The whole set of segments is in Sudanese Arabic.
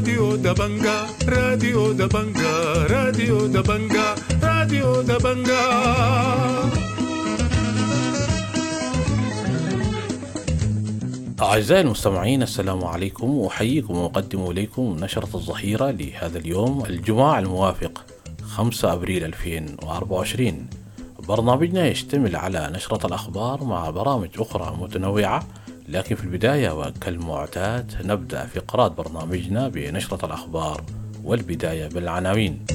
راديو دبنجا، راديو دبنجا، راديو دبنجا، راديو دبنجا. أعزائي المستمعين، السلام عليكم، وأحييكم وأقدم إليكم نشرة الظهيرة لهذا اليوم الجمعة الموافق 5 أبريل 2024. برنامجنا يشتمل على نشرة الأخبار مع برامج أخرى متنوعة، لكن في البداية وكالمعتاد نبدأ فقرات برنامجنا بنشرة الأخبار، والبداية بالعناوين.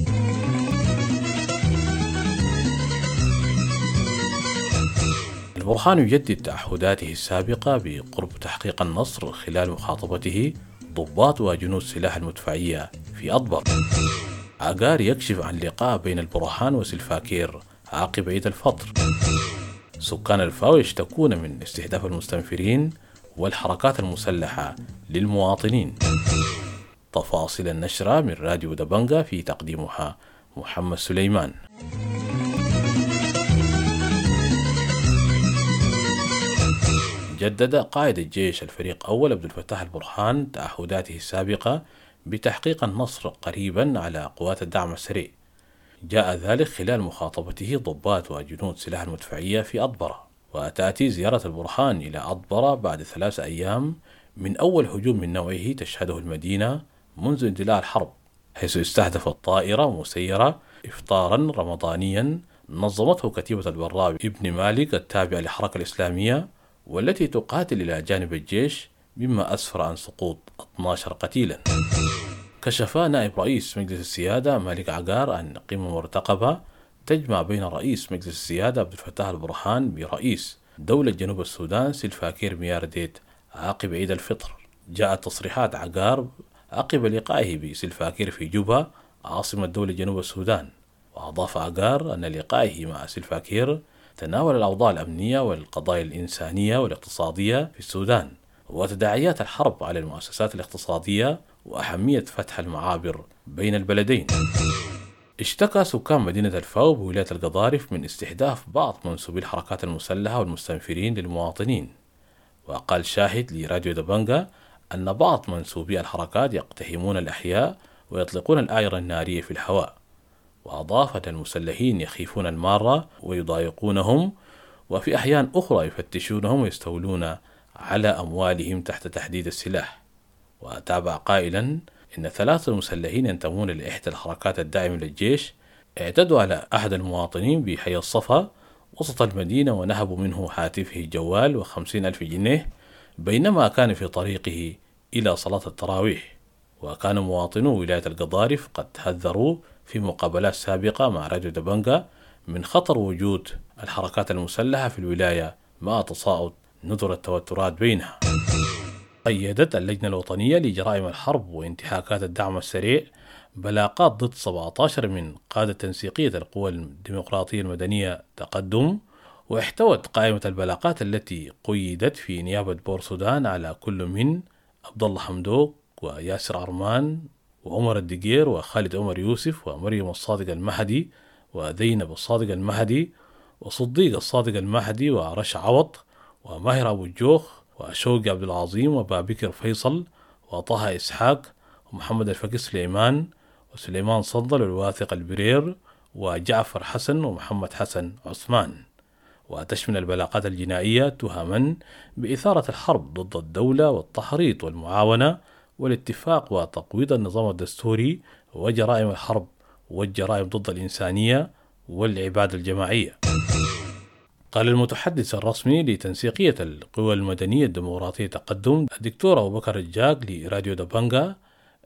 البرهان يجدد تعهداته السابقة بقرب تحقيق النصر خلال مخاطبته ضباط وجنود سلاح المدفعية في أطبر. عقار يكشف عن لقاء بين البرهان وسلفاكير عقب عيد الفطر. سكان الفاو يشتكون من استهداف المستنفرين والحركات المسلحة للمواطنين. تفاصيل النشرة من راديو دبنجا في تقديمها محمد سليمان. جدد قائد الجيش الفريق أول عبد الفتاح البرهان تعهداته السابقة بتحقيق النصر قريبا على قوات الدعم السريع. جاء ذلك خلال مخاطبته ضباط وجنود سلاح المدفعية في أطبرة. وتأتي زيارة البرهان إلى أطبرة بعد 3 أيام من أول هجوم من نوعه تشهده المدينة منذ اندلاع الحرب، حيث استهدفت طائرة مسيرة إفطارا رمضانيا نظمته كتيبة البراء ابن مالك التابعة للحركة الإسلامية والتي تقاتل إلى جانب الجيش، مما أسفر عن سقوط 12 قتيلا. كشف نائب رئيس مجلس السيادة مالك عقار عن قمة مرتقبة تجمع بين رئيس مجلس السيادة عبد الفتاح البرهان برئيس دولة جنوب السودان سلفاكير ميارديت عقب عيد الفطر. جاءت تصريحات عقار عقب لقائه بسلفاكير في جوبا عاصمة دولة جنوب السودان. وأضاف عقار أن لقائه مع سلفاكير تناول الأوضاع الأمنية والقضايا الإنسانية والاقتصادية في السودان وتداعيات الحرب على المؤسسات الاقتصادية وأهمية فتح المعابر بين البلدين. اشتكى سكان مدينة الفاو بولاية القضارف من استهداف بعض منسوبي الحركات المسلحة والمستنفرين للمواطنين. وقال شاهد لراديو دبنجا أن بعض منسوبي الحركات يقتحمون الأحياء ويطلقون الأعيرة النارية في الهواء. وأضاف أن المسلحين يخيفون المارة ويضايقونهم، وفي أحيان أخرى يفتشونهم ويستولون على أموالهم تحت تهديد السلاح. وتابع قائلا إن 3 مسلحين ينتمون لإحدى الحركات الداعمة للجيش اعتدوا على أحد المواطنين بحي الصفا وسط المدينة ونهبوا منه هاتفه الجوال و50,000 جنيه بينما كان في طريقه إلى صلاة التراويح. وكان مواطنو ولاية القضارف قد حذروا في مقابلات سابقة مع راديو دبنجا من خطر وجود الحركات المسلحة في الولاية مع تصاعد نذر التوترات بينها. قيدت اللجنة الوطنية لجرائم الحرب وانتهاكات الدعم السريع بلاغات ضد 17 من قادة تنسيقية القوى الديمقراطية المدنية تقدم، واحتوت قائمة البلاغات التي قيدت في نيابة بور سودان على كل من عبد الله حمدوك وياسر أرمان وعمر الدقير وخالد عمر يوسف ومريم الصادق المهدي وزينب الصادق المهدي وصديق الصادق المهدي ورشا عوض وماهر أبو الجوخ وشوقي عبد العظيم وبابكر فيصل وطه إسحاق ومحمد الفقي سليمان وسليمان صندل والواثق البرير وجعفر حسن ومحمد حسن عثمان. وتشمل البلاغات الجنائية تهما بإثارة الحرب ضد الدولة والتحريض والمعاونة والاتفاق وتقويض النظام الدستوري وجرائم الحرب والجرائم ضد الإنسانية والعبادة الجماعية. قال المتحدث الرسمي لتنسيقية القوى المدنية الديمقراطية تقدم الدكتور أبو بكر الجاك لراديو دبنجا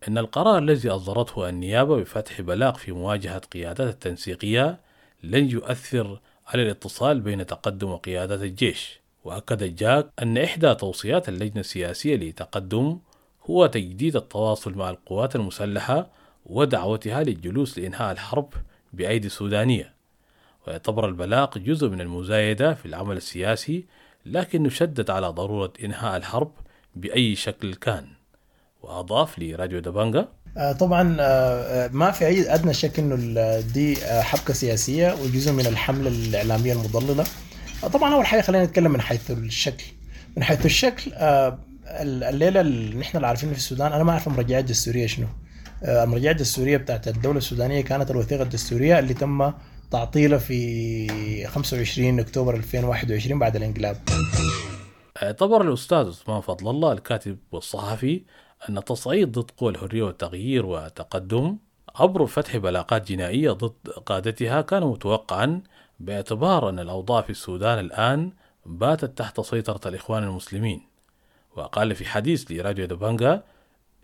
أن القرار الذي أصدرته النيابة بفتح بلاغ في مواجهة قيادات التنسيقية لن يؤثر على الاتصال بين تقدم وقيادات الجيش. وأكد الجاك أن إحدى توصيات اللجنة السياسية لتقدم هو تجديد التواصل مع القوات المسلحة ودعوتها للجلوس لإنهاء الحرب بأيدي سودانية. ويعتبر البلاغ جزء من المزايدة في العمل السياسي، لكن يشدد على ضرورة إنهاء الحرب بأي شكل كان. وأضاف لراديو دبنجا: طبعا ما في أي أدنى شك إنه دي حبكة سياسية وجزء من الحملة الإعلامية المضللة. طبعا أول حاجة خلينا نتكلم من حيث الشكل. من حيث الشكل الليلة اللي نحن اللي عارفينه في السودان، انا ما اعرف المرجعية الدستورية شنو. المرجعية الدستورية بتاعت الدولة السودانية كانت الوثيقة الدستورية اللي تم تعطيلها في 25 اكتوبر 2021 بعد الانقلاب. اعتبر الأستاذ عثمان فضل الله الكاتب والصحفي أن التصعيد ضد قوى الحرية والتغيير والتقدم عبر فتح بلاغات جنائية ضد قادتها كان متوقعا، باعتبار أن الأوضاع في السودان الآن باتت تحت سيطرة الإخوان المسلمين. وقال في حديث لراديو دبنقا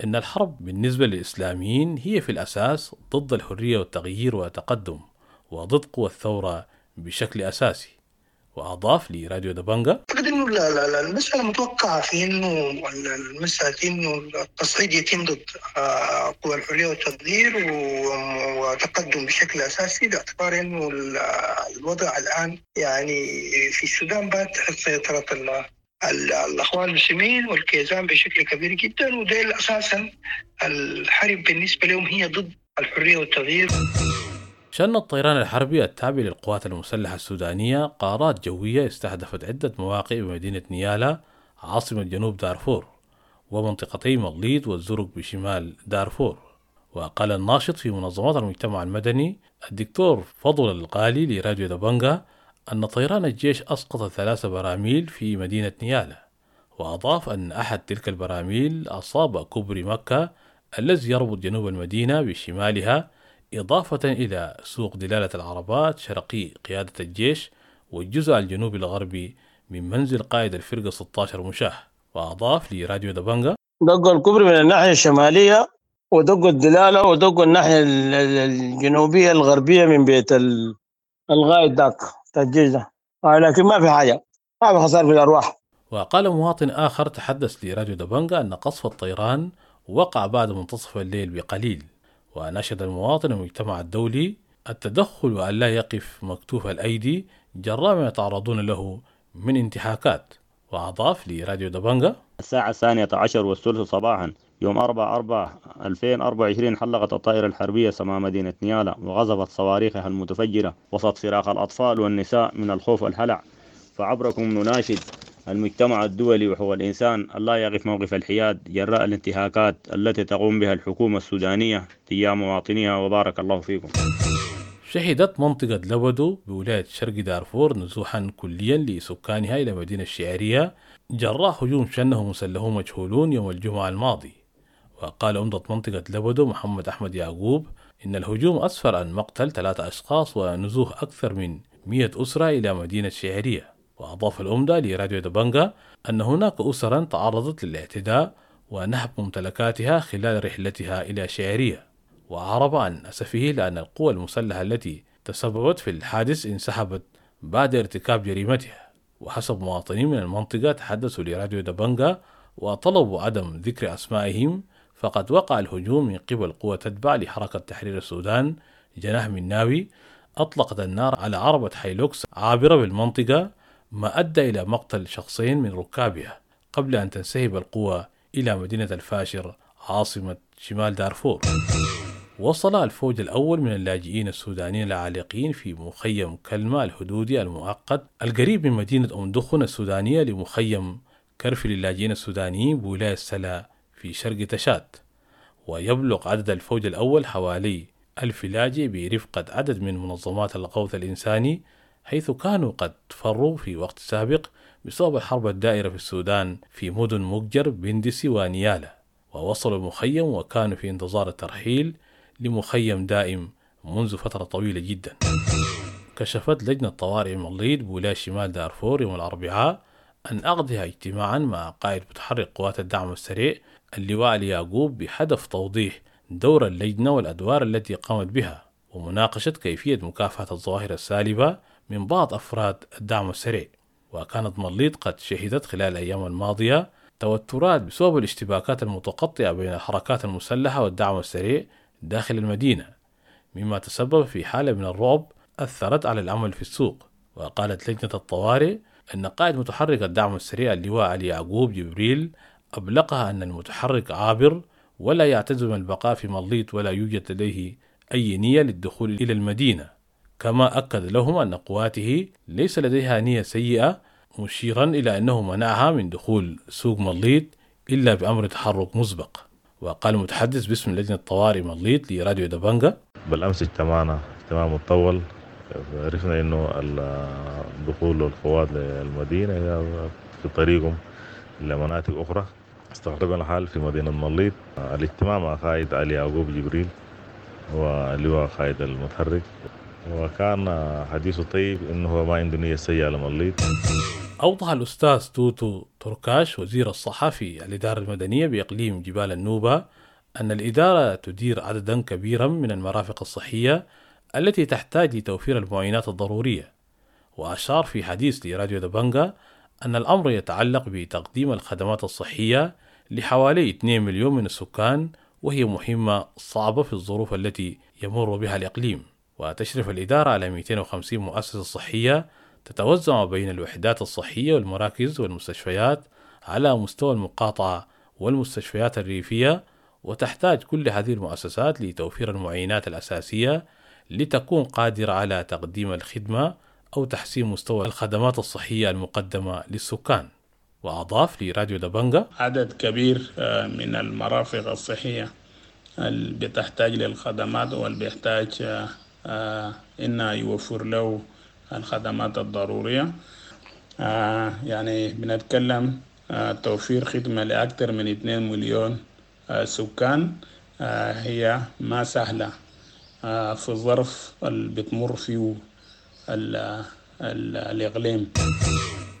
إن الحرب بالنسبة للإسلاميين هي في الأساس ضد الحرية والتغيير والتقدم وضد قوى الثورة بشكل أساسي. وأضاف لراديو دبنقا: أعتقد إنه المسألة متوقعة في إنه المسألة إنه التصعيد يتم ضد قوى الحرية والتغيير وتقدم بشكل أساسي، باعتبار إنه الوضع الآن يعني في السودان بات تحت سيطرة الأخوان المسلمين والكيزان بشكل كبير جدا، وديل أساسا الحرب بالنسبة لهم هي ضد الحرية والتغيير. شن الطيران الحربي التابع للقوات المسلحة السودانية قارات جوية استهدفت عدة مواقع بمدينة نيالا عاصمة جنوب دارفور ومنطقتي مغليط والزرق بشمال دارفور. وقال الناشط في منظمات المجتمع المدني الدكتور فضل الغالي لراديو دبنقا أن طيران الجيش أسقط 3 براميل في مدينة نيالا، وأضاف أن أحد تلك البراميل أصاب كوبري مكة الذي يربط جنوب المدينة بشمالها، إضافة إلى سوق دلالة العربات شرقي قيادة الجيش والجزء الجنوبي الغربي من منزل قائد الفرقة 16 مشاه. وأضاف لراديو دبنقا: دقوا الكوبري من الناحية الشمالية ودقوا الدلالة ودقوا الناحية الجنوبية الغربية من بيت الغايد داك الجيش ده، لكن ما في حاجة، ما في خسائر في الأرواح. وقال مواطن آخر تحدث لراديو دبنقا أن قصف الطيران وقع بعد منتصف الليل بقليل، ونشد المواطن المجتمع الدولي التدخل وأن لا يقف مكتوف الأيدي جراء ما يتعرضون له من انتهاكات. وأضاف لراديو دبنقا: الساعة 12:20 صباحا يوم 4/4/2024 حلقت الطائرة الحربية سماء مدينة نيالا وغزفت صواريخها المتفجرة وسط صراخ الأطفال والنساء من الخوف والهلع. فعبركم نناشد المجتمع الدولي وحقوق الإنسان ألا يقف موقف الحياد جراء الانتهاكات التي تقوم بها الحكومة السودانية تجاه مواطنيها، وبارك الله فيكم. شهدت منطقة لبدو بولاية شرق دارفور نزوحا كليا لسكانها إلى مدينة الشعرية جراء هجوم شنه مسلحون مجهولون يوم الجمعة الماضي. وقال عمدة منطقة لبدو محمد أحمد يعقوب إن الهجوم أسفر عن مقتل 3 أشخاص ونزوح أكثر من 100 أسرة إلى مدينة الشعرية. وأضاف العمدة لراديو دبنقا أن هناك أسرا تعرضت للاعتداء ونهب ممتلكاتها خلال رحلتها إلى شعرية. وأعرب عن أسفه لأن القوى المسلحة التي تسببت في الحادث انسحبت بعد ارتكاب جريمتها. وحسب مواطنين من المنطقة تحدثوا لراديو دبنقا وطلبوا عدم ذكر أسمائهم، فقد وقع الهجوم من قبل قوة تتبع لحركة تحرير السودان جناح مناوي أطلقت النار على عربة هايلوكس عابرة بالمنطقة، ما أدى إلى مقتل شخصين من ركابها قبل أن تنسحب القوة إلى مدينة الفاشر عاصمة شمال دارفور. وصل الفوج الأول من اللاجئين السودانيين العالقين في مخيم كلمة الحدودي المؤقت القريب من مدينة أم دخن السودانية لمخيم كرفي للاجئين السودانيين بولاية سلا في شرق تشاد. ويبلغ عدد الفوج الأول حوالي 1000 لاجئ برفقة عدد من منظمات الغوث الإنساني، حيث كانوا قد فروا في وقت سابق بسبب الحرب الدائرة في السودان في مدن مقجر بندسي ونيالا. ووصلوا المخيم وكانوا في انتظار الترحيل لمخيم دائم منذ فترة طويلة جدا. كشفت لجنة طوارئ مليط بولاية شمال دارفور يوم الأربعاء أن عقدها اجتماعا مع قائد متحرك قوات الدعم السريع اللواء اليعقوب بهدف توضيح دور اللجنة والأدوار التي قامت بها ومناقشة كيفية مكافحة الظواهر السالبة من بعض أفراد الدعم السريع. وكانت مليط قد شهدت خلال الأيام الماضية توترات بسبب الاشتباكات المتقطعة بين الحركات المسلحة والدعم السريع داخل المدينة، مما تسبب في حالة من الرعب أثرت على العمل في السوق. وقالت لجنة الطوارئ أن قائد متحرك الدعم السريع اللواء علي يعقوب جبريل أبلغها أن المتحرك عابر ولا يعتزم البقاء في مليط ولا يوجد لديه أي نية للدخول إلى المدينة، كما أكد لهم أن قواته ليس لديها نية سيئة، مشيرا إلى أنه منعها من دخول سوق مليط إلا بأمر تحرك مسبق. وقال المتحدث باسم لجنة طوارئ مليط لراديو دبنجا: بالأمس اجتمعنا اجتماع مطول، عرفنا إنه دخول القوات للمدينة في طريقهم لمناطق أخرى. استقربنا الحال في مدينة مليط. الاجتماع مع قائد علي يعقوب جبريل واللواء قائد المتحرك، وكان حديثه طيب إنه هو ما عنده نية سيئة لمليط. أوضح الأستاذ توتو تركاش وزير الصحة في الإدارة المدنية بإقليم جبال النوبة أن الإدارة تدير عددا كبيرا من المرافق الصحية التي تحتاج لتوفير المعينات الضرورية. وأشار في حديث لراديو دبنجا أن الأمر يتعلق بتقديم الخدمات الصحية لحوالي 2 مليون من السكان، وهي مهمة صعبة في الظروف التي يمر بها الإقليم. وتشرف الإدارة على 250 مؤسسة صحية تتوزع بين الوحدات الصحية والمراكز والمستشفيات على مستوى المقاطعة والمستشفيات الريفية، وتحتاج كل هذه المؤسسات لتوفير المعينات الأساسية لتكون قادرة على تقديم الخدمة أو تحسين مستوى الخدمات الصحية المقدمة للسكان. وأضاف لراديو دبنجا: عدد كبير من المرافق الصحية اللي بتحتاج للخدمات واللي بيحتاج إنها يوفر له الخدمات الضرورية. يعني بنتكلم توفير خدمة لأكثر من 2 مليون سكان هي ما سهلة في الظرف اللي بتمر فيه الإقليم.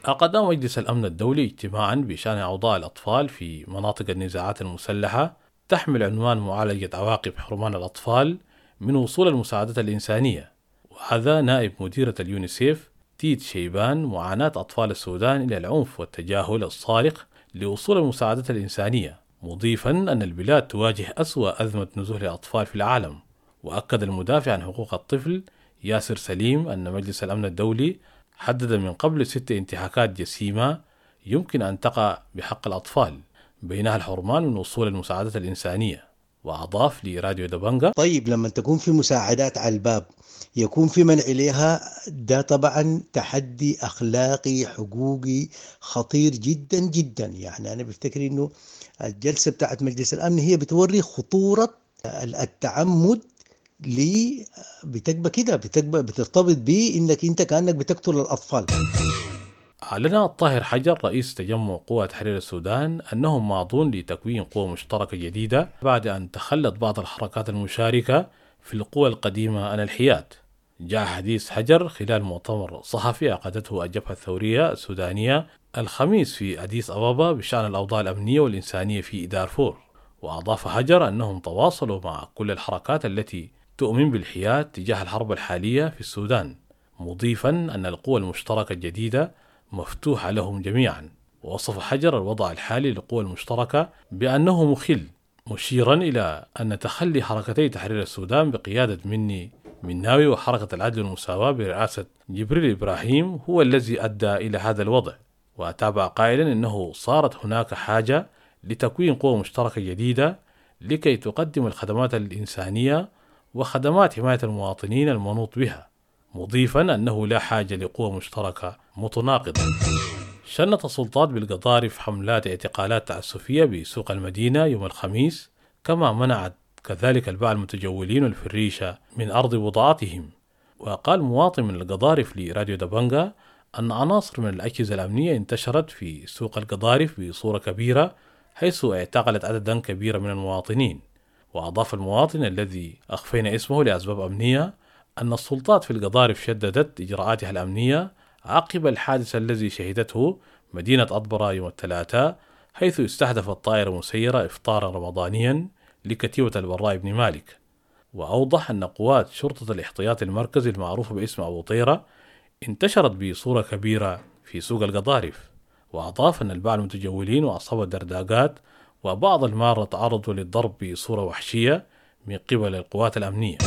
عقد مجلس الأمن الدولي اجتماعا بشأن أوضاع الأطفال في مناطق النزاعات المسلحة تحمل عنوان معالجة عواقب حرمان الأطفال من وصول المساعدات الإنسانية. وهذا نائب مديرة اليونيسيف تيت شيبان معاناة أطفال السودان إلى العنف والتجاهل الصارخ لوصول المساعدات الإنسانية، مضيفا أن البلاد تواجه أسوأ أزمة نزوح الأطفال في العالم. وأكد المدافع عن حقوق الطفل ياسر سليم أن مجلس الأمن الدولي حدد من قبل 6 انتهاكات جسيمة يمكن أن تقع بحق الأطفال، بينها الحرمان من وصول المساعدات الإنسانية. وأضاف لراديو دبنجا: طيب لما تكون في مساعدات على الباب يكون في منع لها، ده طبعا تحدي أخلاقي حقوقي خطير جدا جدا. يعني أنا بفتكر إنه الجلسة بتاعت مجلس الأمن هي بتوري خطورة التعمد ليه بتكبى كده، بتكبى بترتبط بيه إنك أنت كأنك بتقتل الأطفال. أعلن الطاهر حجر رئيس تجمع قوى تحرير السودان أنهم ماضون لتكوين قوى مشتركة جديدة بعد أن تخلت بعض الحركات المشاركة في القوى القديمة عن الحياد. جاء حديث حجر خلال مؤتمر صحفي عقدته الجبهة الثورية السودانية الخميس في أديس أبابا بشأن الأوضاع الأمنية والإنسانية في دارفور. وأضاف حجر أنهم تواصلوا مع كل الحركات التي تؤمن بالحياد تجاه الحرب الحالية في السودان، مضيفا أن القوى المشتركة الجديدة مفتوحة لهم جميعا. ووصف حجر الوضع الحالي للقوى المشتركة بأنه مخل، مشيرا إلى أن تخلي حركتي تحرير السودان بقيادة مني مناوي وحركة العدل والمساواة برئاسة جبريل إبراهيم هو الذي أدى إلى هذا الوضع. وتابع قائلا أنه صارت هناك حاجة لتكوين قوى مشتركة جديدة لكي تقدم الخدمات الإنسانية وخدمات حماية المواطنين المنوط بها، مضيفا أنه لا حاجة لقوى مشتركة متناقضة. شنت السلطات بالقضارف حملات اعتقالات تعسفية بسوق المدينة يوم الخميس، كما منعت كذلك الباعة المتجولين والفريشة من أرض بضاعتهم. وقال مواطن من القضارف لراديو دبنجا أن عناصر من الأجهزة الأمنية انتشرت في سوق القضارف بصورة كبيرة، حيث اعتقلت عددا كبيرا من المواطنين. وأضاف المواطن الذي أخفينا اسمه لأسباب أمنية أن السلطات في القضارف شددت إجراءاتها الأمنية عقب الحادث الذي شهدته مدينة أطبرة يوم الثلاثاء، حيث استهدفت طائرة مسيرة إفطارا رمضانيا لكتيبة البراء بن مالك. وأوضح أن قوات شرطة الاحتياط المركزي المعروفة باسم أبو طيرة انتشرت بصورة كبيرة في سوق القضارف. وأضاف أن الباعة المتجولين وأصحاب الدرداقات وبعض المارة تعرضوا للضرب بصورة وحشية من قبل القوات الأمنية.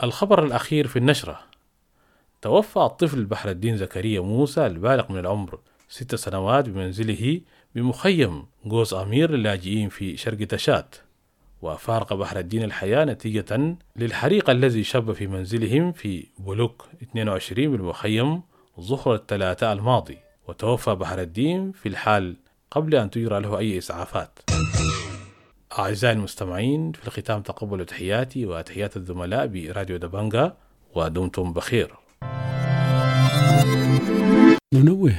الخبر الأخير في النشرة: توفى الطفل بحر الدين زكريا موسى البالغ من العمر 6 سنوات بمنزله بمخيم قوس أمير للاجئين في شرق تشاد. وفارق بحر الدين الحياة نتيجة للحريق الذي شب في منزلهم في بلوك 22 بالمخيم ظهر الثلاثاء الماضي. وتوفى بحر الدين في الحال قبل أن تجرى له أي إسعافات. أعزائي المستمعين، في الختام تقبلوا تحياتي وتحيات الزملاء براديو دبنجا، ودمتم بخير. ننوه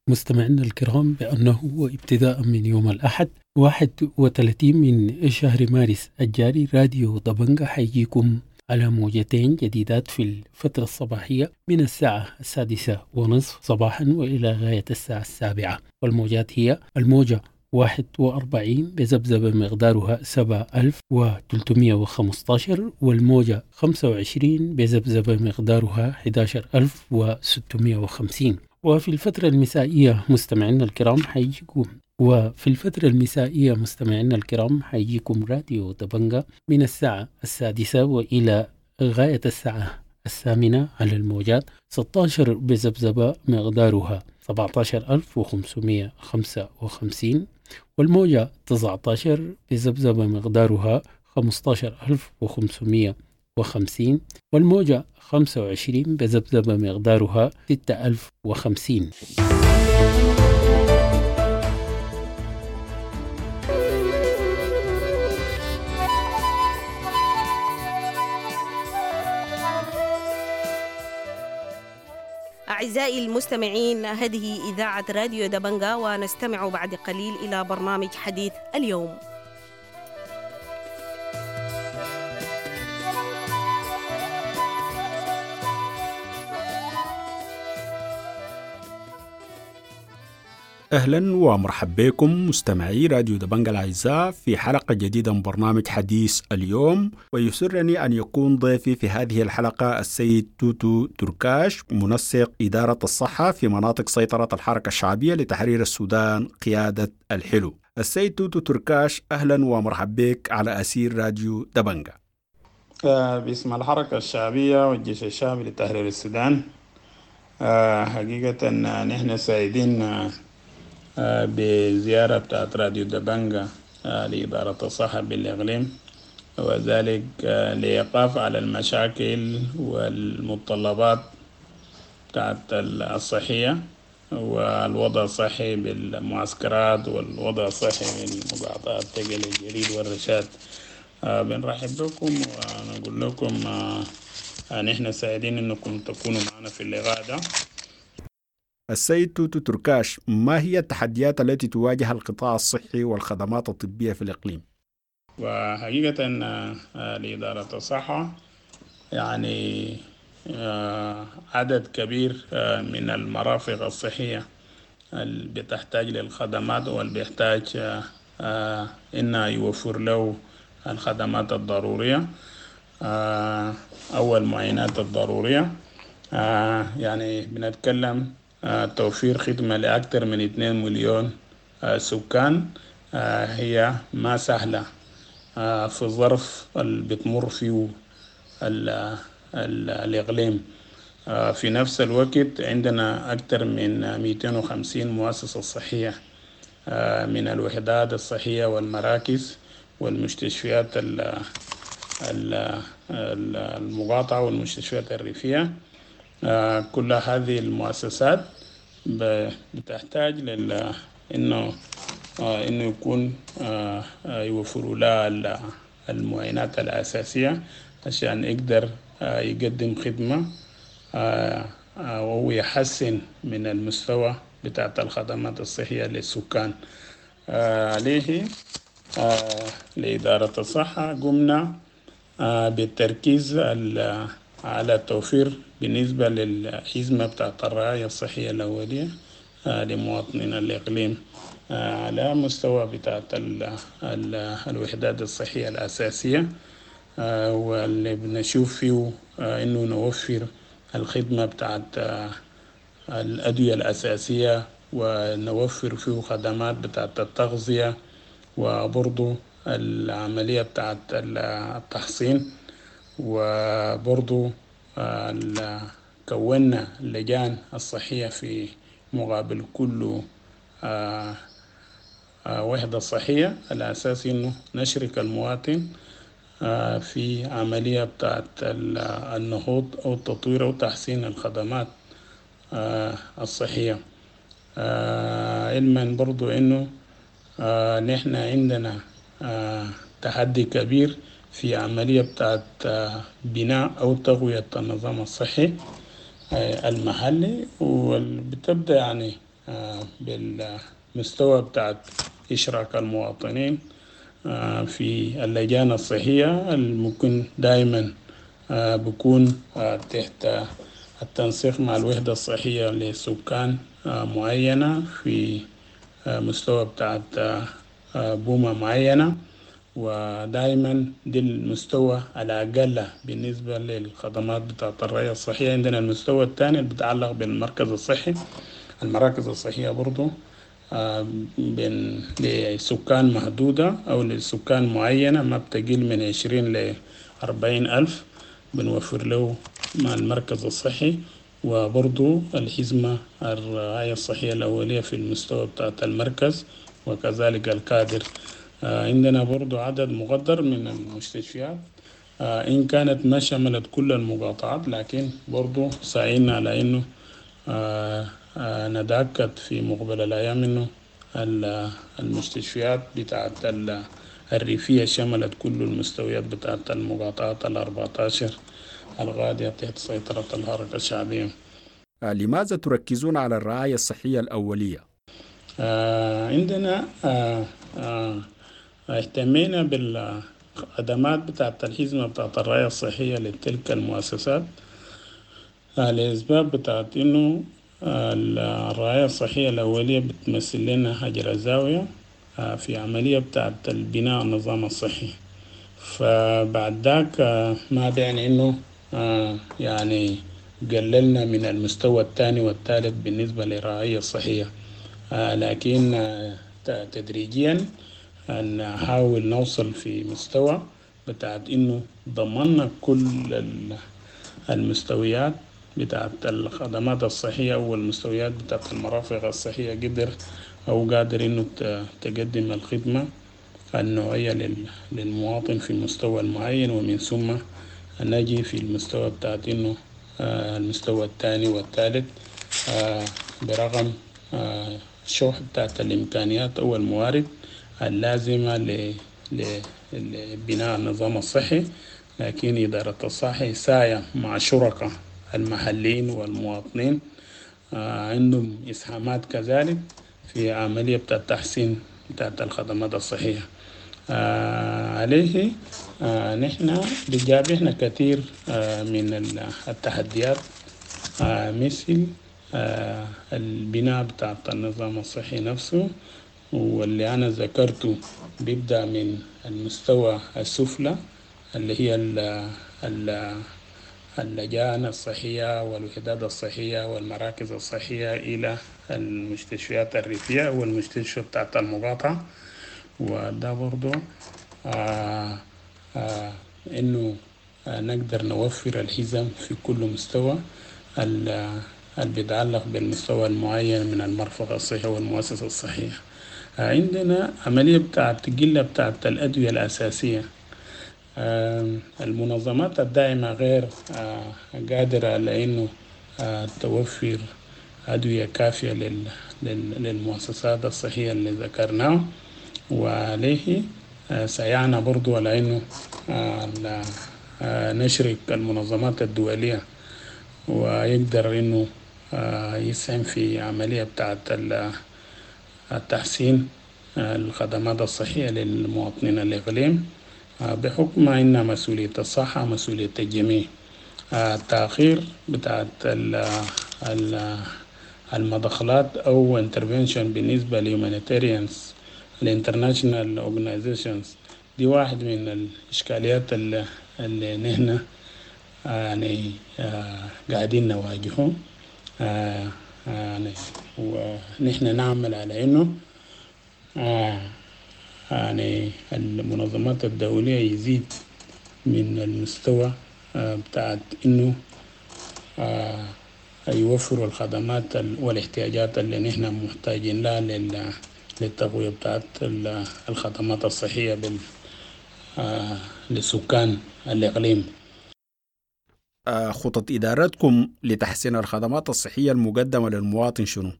مستمعينا الكرام بأنه ابتداء من يوم الأحد 31 من شهر مارس الجاري راديو دبنجا حيجيكم على موجتين جديدات في الفترة الصباحية من الساعة 6:30 صباحا وإلى غاية الساعة 7، والموجات هي الموجة 41 بذبذبة مقدارها 7315، والموجة 25 بذبذبة مقدارها 11650. وفي الفترة المسائية مستمعينا الكرام حيجيكم وفي الفترة المسائية مستمعينا الكرام حيجيكم راديو دبنجا من الساعة 6 وإلى غاية الساعة 8 على الموجات 16 بذبذبة مقدارها 17555، والموجة 19 بذبذبة مقدارها 15550، والموجة 25 بذبذبة مقدارها 6050. أعزائي المستمعين، هذه إذاعة راديو دبنجا، ونستمع بعد قليل إلى برنامج حديث اليوم. أهلا ومرحبا بكم مستمعي راديو دبنجا الأعزاء في حلقة جديدة من برنامج حديث اليوم، ويسرني أن يكون ضيفي في هذه الحلقة السيد توتو تركاش، منسق إدارة الصحة في مناطق سيطرة الحركة الشعبية لتحرير السودان قيادة الحلو. السيد توتو تركاش، أهلا ومرحبا بك على أسير راديو دبنجا. باسم الحركة الشعبية والجيش الشعبي لتحرير السودان، حقيقة نحن سعيدين بزيارة بتاعت راديو دبنجا لإدارة الصحة بالإقليم، وذلك لإيقاف على المشاكل والمتطلبات بتاعت الصحية والوضع الصحي بالمعسكرات والوضع الصحي بالمقاطعات تقل الجليد والرشاد. بنرحب بكم ونقول لكم نحن سعيدين أنكم تكونوا معنا في اللقاء ده. السيد توتو تركاش، ما هي التحديات التي تواجه القطاع الصحي والخدمات الطبية في الإقليم؟ وحقيقة لإدارة الصحة يعني عدد كبير من المرافق الصحية اللي بتحتاج للخدمات واللي بيحتاج إنه يوفر له الخدمات الضرورية أو المعاينات الضرورية. يعني بنتكلم توفير خدمة لأكثر من 2 مليون سكان هي ما سهلة في الظرف اللي بتمر فيه الإقليم. في نفس الوقت عندنا أكثر من 250 مؤسسة صحية من الوحدات الصحية والمراكز والمستشفيات المقاطعة والمستشفيات الريفية. كل هذه المؤسسات بتحتاج إنه يكون يوفروا لها المعاينات الأساسية عشان يقدر يقدم خدمة وهو يحسن من المستوى بتاعت الخدمات الصحية للسكان. عليه لإدارة الصحة قمنا بالتركيز على التوفير بالنسبة للحزمة بتاعت الرعاية الصحية الأولية لمواطنين الإقليم على مستوى بتاعت الوحدات الصحية الأساسية، واللي بنشوف فيه إنه نوفر الخدمة بتاعت الأدوية الأساسية، ونوفر فيه خدمات بتاعت التغذية، وبرضو العملية بتاعت التحصين، وبرضو كونا اللجان الصحية في مقابل كل وحدة صحية على أساس إنه نشرك المواطن في عملية بتاعت النهوض أو التطوير أو تحسين الخدمات الصحية. علما برضو إنه نحن عندنا تحدي كبير في عملية بتاعت بناء أو تقوية النظام الصحي المحلي، وبتبدأ يعني بالمستوى بتاعت إشراك المواطنين في اللجان الصحية الممكن دائما بكون تحت التنسيق مع الوحدة الصحية لسكان معينة في مستوى بتاعت بومة معينة. ودائما دي المستوى الأقل بالنسبة للخدمات بتاعت الرعاية الصحية. عندنا المستوى الثاني اللي بيتعلق بالمركز الصحي، المراكز الصحية برضو بين لسكان محدودة أو لسكان معينة ما بتقل من 20 ل40 ألف بنوفر له مع المركز الصحي، وبرضو الحزمة الرعاية الصحية الأولية في المستوى بتاعت المركز وكذلك الكادر. عندنا برضو عدد مقدر من المستشفيات إن كانت ما شملت كل المقاطعات، لكن برضو سعينا على إنه نتأكد في مقبل الأيام إنه المستشفيات بتاعت الريفية شملت كل المستويات بتاعت المقاطعات 14 الغادية تحت سيطرة الحركة الشعبية. لماذا تركزون على الرعاية الصحية الأولية؟ عندنا اهتمينا بالخدمات بتاعت الحزمة بتاعت الرعاية الصحية لتلك المؤسسات لأسباب بتاعت إنه الرعاية الصحية الأولية بتمثل لنا حجر الزاوية في عملية بتاعت البناء النظام الصحي. فبعد ذاك ما بيعني إنه يعني قللنا من المستوى الثاني والثالث بالنسبة للرعاية الصحية، لكن تدريجيا نحاول نوصل في مستوى بتاعت إنه ضمننا كل المستويات بتاعت الخدمات الصحية والمستويات بتاعت المرافق الصحية قدر أو قادر إنه تقدم الخدمة النوعية للمواطن في مستوى معين، ومن ثم نجي في المستوى بتاعت إنه المستوى الثاني والثالث برغم الشح بتاعت الإمكانيات أو الموارد اللازمة لبناء النظام الصحي، لكن إدارة الصحة ساعية مع شركاء المحليين والمواطنين عندهم إسهامات كذلك في عملية بتاعت تحسين بتاعت الخدمات الصحية. عليه نحن بيجابهنا كثير من التحديات مثل البناء بتاعت النظام الصحي نفسه، واللي أنا ذكرته بيبدأ من المستوى السفلى اللي هي اللجان الصحية والوحدات الصحية والمراكز الصحية إلى المستشفيات الريفية والمستشفى بتاعت المقاطعة. وده برضو إنه نقدر نوفر الحزم في كل مستوى اللي بيتعلق بالمستوى المعين من المرفق الصحي والمؤسسة الصحية. عندنا عملية بتاعت قلة بتاعت الأدوية الأساسية، المنظمات الداعمة غير قادرة على إنه توفر أدوية كافية للمؤسسات الصحية اللي ذكرناها، وعليه سعينا برضو على إنه نشرك المنظمات الدولية ويقدر إنه يسهم في عملية بتاعت التحسين الخدمات الصحية للمواطنين الإقليم، بحكم أن مسؤولية الصحة مسؤولية الجميع. التأخير بتاعت المدخلات أو intervention بالنسبة ل humanitarians ال international organizations دي واحد من الإشكاليات اللي نحن يعني قاعدين نواجهه، يعني ونحن نعمل على إنه يعني المنظمات الدولية يزيد من المستوى بتاعت إنه يوفروا الخدمات والاحتياجات اللي نحن محتاجين لها للتقوية بتاعت الخدمات الصحية لسكان الإقليم. خطط إدارتكم لتحسين الخدمات الصحية المقدمة للمواطن شنو؟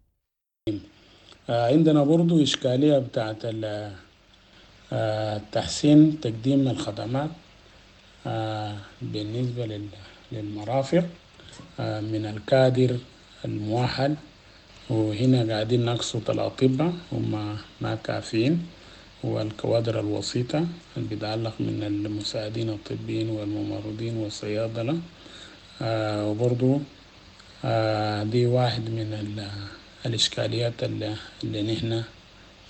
عندنا برضو إشكالية بتاعت تحسين تقديم الخدمات بالنسبة للمرافق من الكادر المؤهل، وهنا قاعدين نقصد الأطباء هم ما كافيين، والكوادر الوسيطة اللي بيتعلق من المساعدين الطبيين والممرضين والصيادلة. وبرضو دي واحد من الإشكاليات اللي نحن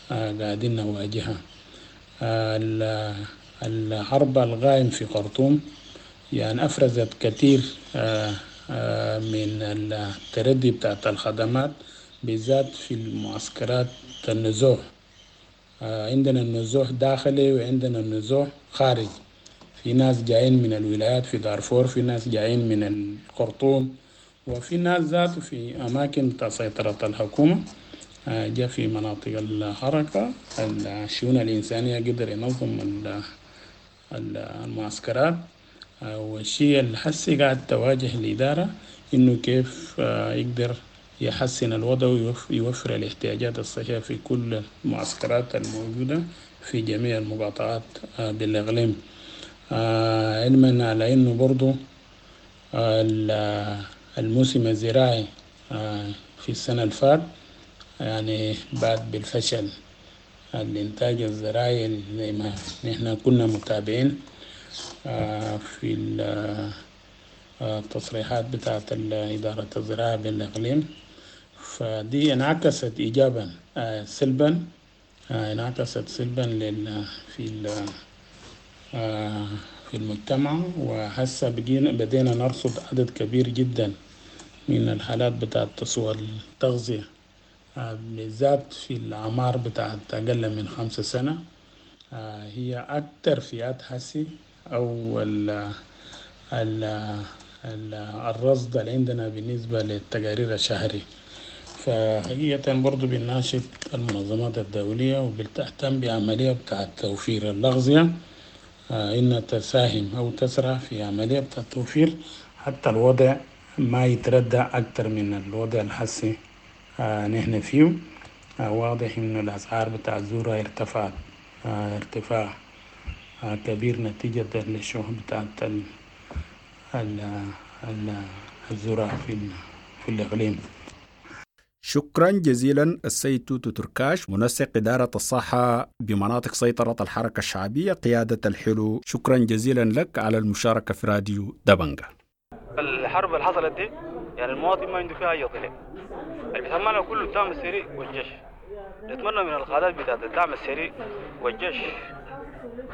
قاعدين نواجهها. الحرب القائم في خرطوم يعني أفرزت كثير من التردي بتاعت الخدمات، بالذات في المعسكرات النزوح. عندنا النزوح داخلي وعندنا النزوح خارجي، في ناس جايين من الولايات في دارفور، في ناس جايين من الخرطوم، وفي ناس ذاته في أماكن سيطرة الحكومة جاء في مناطق الحركة. الشؤون الإنسانية قدر ينظم المعسكرات، والشيء اللي حسي قاعد تواجه الإدارة إنه كيف يقدر يحسن الوضع ويوفر الاحتياجات الصحية في كل المعسكرات الموجودة في جميع المقاطعات بالإقليم. علما على إنه برضو الموسم الزراعي في السنة الفات يعني بعد بالفشل الإنتاج الزراعي زي ما نحن كنا متابعين في التصريحات بتاعت إدارة الزراعة بالإقليم، فدي انعكست إيجابا سلبا، انعكست سلبا في المجتمع. وهسه بدينا نرصد عدد كبير جدا من الحالات بتاعت سوء التغذية، بالذات في الأعمار بتاعت أقل من 5 سنة. هي أكتر فئات حسي أو الرصد اللي عندنا بالنسبة للتقارير الشهري. فحقيقة برضو بنناشد المنظمات الدولية وبتهتم بعملية بتاعت توفير الأغذية إنها تساهم أو تسرع في عملية بتاعت توفير حتى الوضع ما يتردى أكتر من الوضع الحسي نحن فيه. واضح إنه الأسعار بتاع الذرة ارتفعت ارتفاع كبير نتيجة للشح بتاعت الذرة في الإقليم. شكرا جزيلا السيد توتو تركاش، منسق إدارة الصحة بمناطق سيطرة الحركة الشعبية قيادة الحلو. شكرا جزيلا لك على المشاركة في راديو دبنجة. الحرب اللي حصلت دي يعني المواطن ما عنده فيها أي ضلع، اللي بيتمنى كله الدعم السريع والجيش. نتمنى من القادات بتاعت الدعم السريع والجيش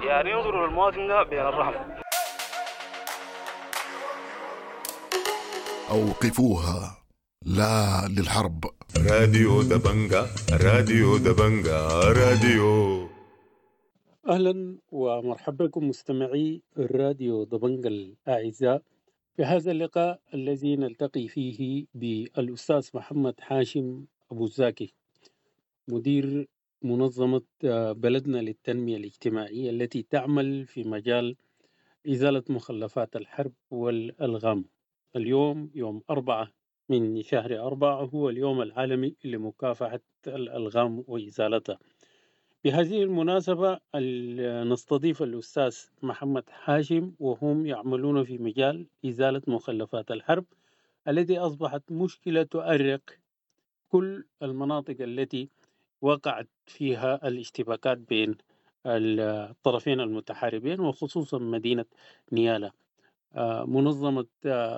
يعني ينظروا للمواطن ده بين الرحمة. أوقفوها، لا للحرب. راديو دبنجة، راديو دبنجة، راديو. أهلا ومرحبا بكم مستمعي الراديو دبنجة الأعزاء في هذا اللقاء الذي نلتقي فيه بالأستاذ محمد حاشم أبو زاكي، مدير منظمة بلدنا للتنمية الاجتماعية التي تعمل في مجال إزالة مخلفات الحرب والألغام. اليوم يوم 4 من شهر 4 هو اليوم العالمي لمكافحة الألغام وإزالتها. بهذه المناسبة نستضيف الأستاذ محمد حاشم، وهم يعملون في مجال إزالة مخلفات الحرب التي أصبحت مشكلة تؤرق كل المناطق التي وقعت فيها الاشتباكات بين الطرفين المتحاربين، وخصوصا مدينة نيالا. منظمة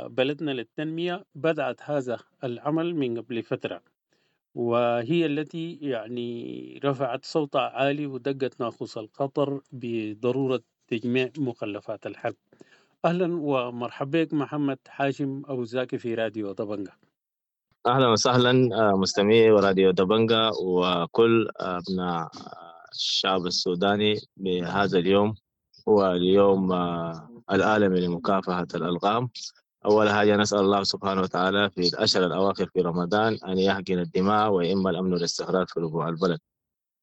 بلدنا للتنمية بدأت هذا العمل من قبل فترة، وهي التي يعني رفعت صوتها عالي ودقت ناقوس الخطر بضرورة تجميع مخلفات الحرب. أهلا ومرحبا بك محمد حاشم أبو زاكي في راديو دبنجة. أهلا وسهلا مستمعي وراديو دبنجة وكل أبناء الشعب السوداني بهذا اليوم، هو اليوم العالمي لمكافحة الألغام. أول حاجة نسأل الله سبحانه وتعالى في الأشهر الأواخر في رمضان أن يحقن الدماء ويئم الأمن والاستقرار في ربوع البلد.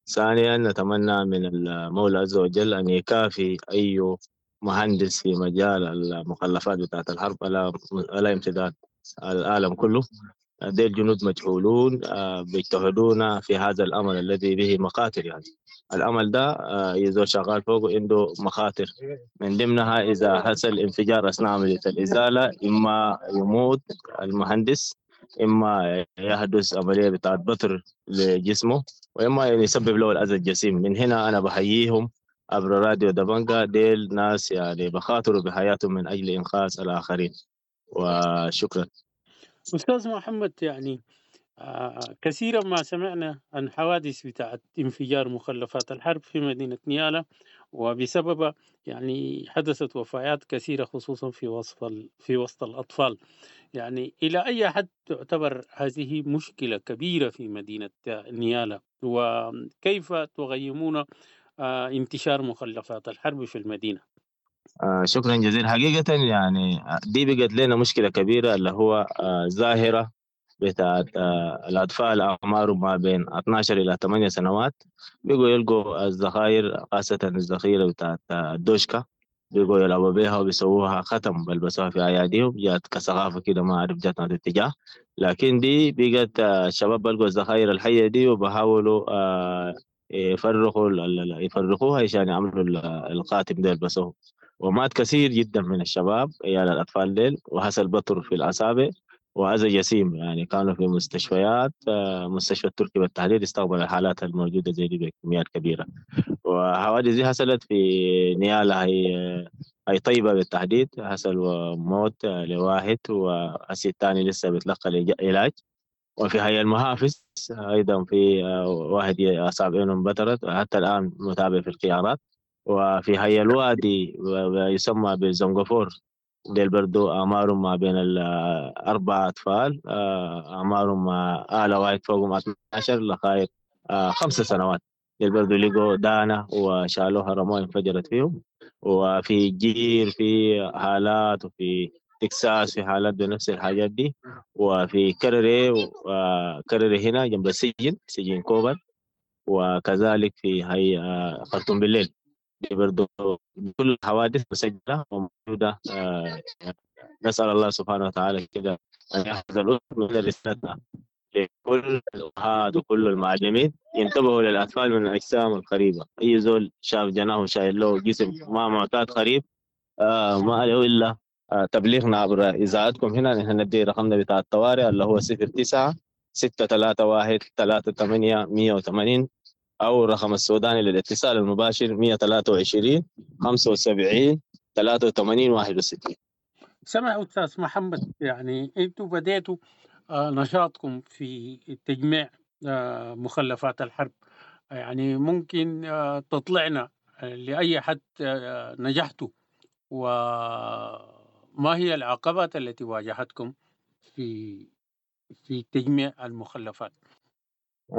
ثانيا نتمنى من المولى عز وجل أن يكافي أي مهندس في مجال المخلفات بتاعة الحرب على امتداد العالم كله، ديل جنود مجهولون بيجتهدون في هذا الأمل الذي به مخاطر. يعني الأمل ده يزول شغال فوقه عنده مخاطر، من ضمنها إذا حصل انفجار أثناء عملية الإزالة إما يموت المهندس، إما يحدث عملية بتاعت بتر لجسمه، وإما يسبب له الأذى الجسيم. من هنا أنا بحييهم عبر راديو دبنجا، ديل ناس يعني بخاطروا بحياتهم من أجل إنقاذ الآخرين. وشكرا. أستاذ محمد، يعني كثيرا ما سمعنا عن حوادث بتاعت انفجار مخلفات الحرب في مدينة نيالا، وبسبب يعني حدثت وفيات كثيرة خصوصا في وسط الأطفال. يعني إلى أي حد تعتبر هذه مشكلة كبيرة في مدينة نيالا، وكيف تقيمون انتشار مخلفات الحرب في المدينة؟ شكرا جزيلا. حقيقة يعني دي بقت لنا مشكلة كبيرة، اللي هو ظاهرة بتاعت الأطفال أعمارهم ما بين 12 إلى 8 سنوات بيقوا يلقوا الذخائر، خاصة الذخيرة بتاعت الدوشكا، بيقوا يلعبوا بيها وبيسووها ختم بيلبسوها في أياديهم، جات كثقافة كده ما أعرف جات من اتجاه، لكن دي بقت الشباب بيلقوا الذخائر الحية دي وبحاولوا يفرخوها عشان يعملوا الخاتم ده يلبسوه. ومات كثير جدا من الشباب عيال الأطفال ديل، وحصل بطر في الأصابع وأذى جسيم، يعني كانوا في مستشفيات، مستشفى التركي بالتحديد استقبل الحالات الموجودة زي دي بكميات كبيرة. وحوادث دي حصلت في نيالا، هي طيبة بالتحديد، حصل موت لواحد وهسي الثاني لسه بيتلقى علاج. وفي هي المحافظ أيضا في واحد أصابعينه انبترت حتى الآن متابع في الخيارات. وفي هي الوادي يسمى بزنغفور، ديل برضو أعمارهم ما بين الأربع أطفال، أعمارهم أعلى واحد فوقهم 12 لغاية 5 سنوات، ديل برضو لقوا دانة وشالوها رموها انفجرت فيهم. وفي جير في حالات، وفي تكساس في حالات بنفس الحاجات دي، وفي كرري، وكرري هنا جنب السجن، سجن كوبر، وكذلك في هي خرطوم بالليل. دي برضو كل الحوادث مسجلة وموجودة. نسأل الله سبحانه وتعالى كده أن يحفظ الأسر من رسالتنا لكل الأمهات وكل المعلمين، ينتبهوا للأطفال من الأجسام القريبة. أي زول شاف جناه شايل له جسم ما معتاد قريب، ما عليه إلا تبليغنا عبر إذاعتكم هنا. نحن ندي رقمنا بتاع الطوارئ اللي هو 09 631 38 180، أو الرقم السوداني للاتصال المباشر 123 75 83 61. سمع أستاذ محمد، يعني أنتوا بديتوا نشاطكم في تجميع مخلفات الحرب، يعني ممكن تطلعنا لأي حد نجحتوا، وما هي العقبات التي واجهتكم في تجميع المخلفات؟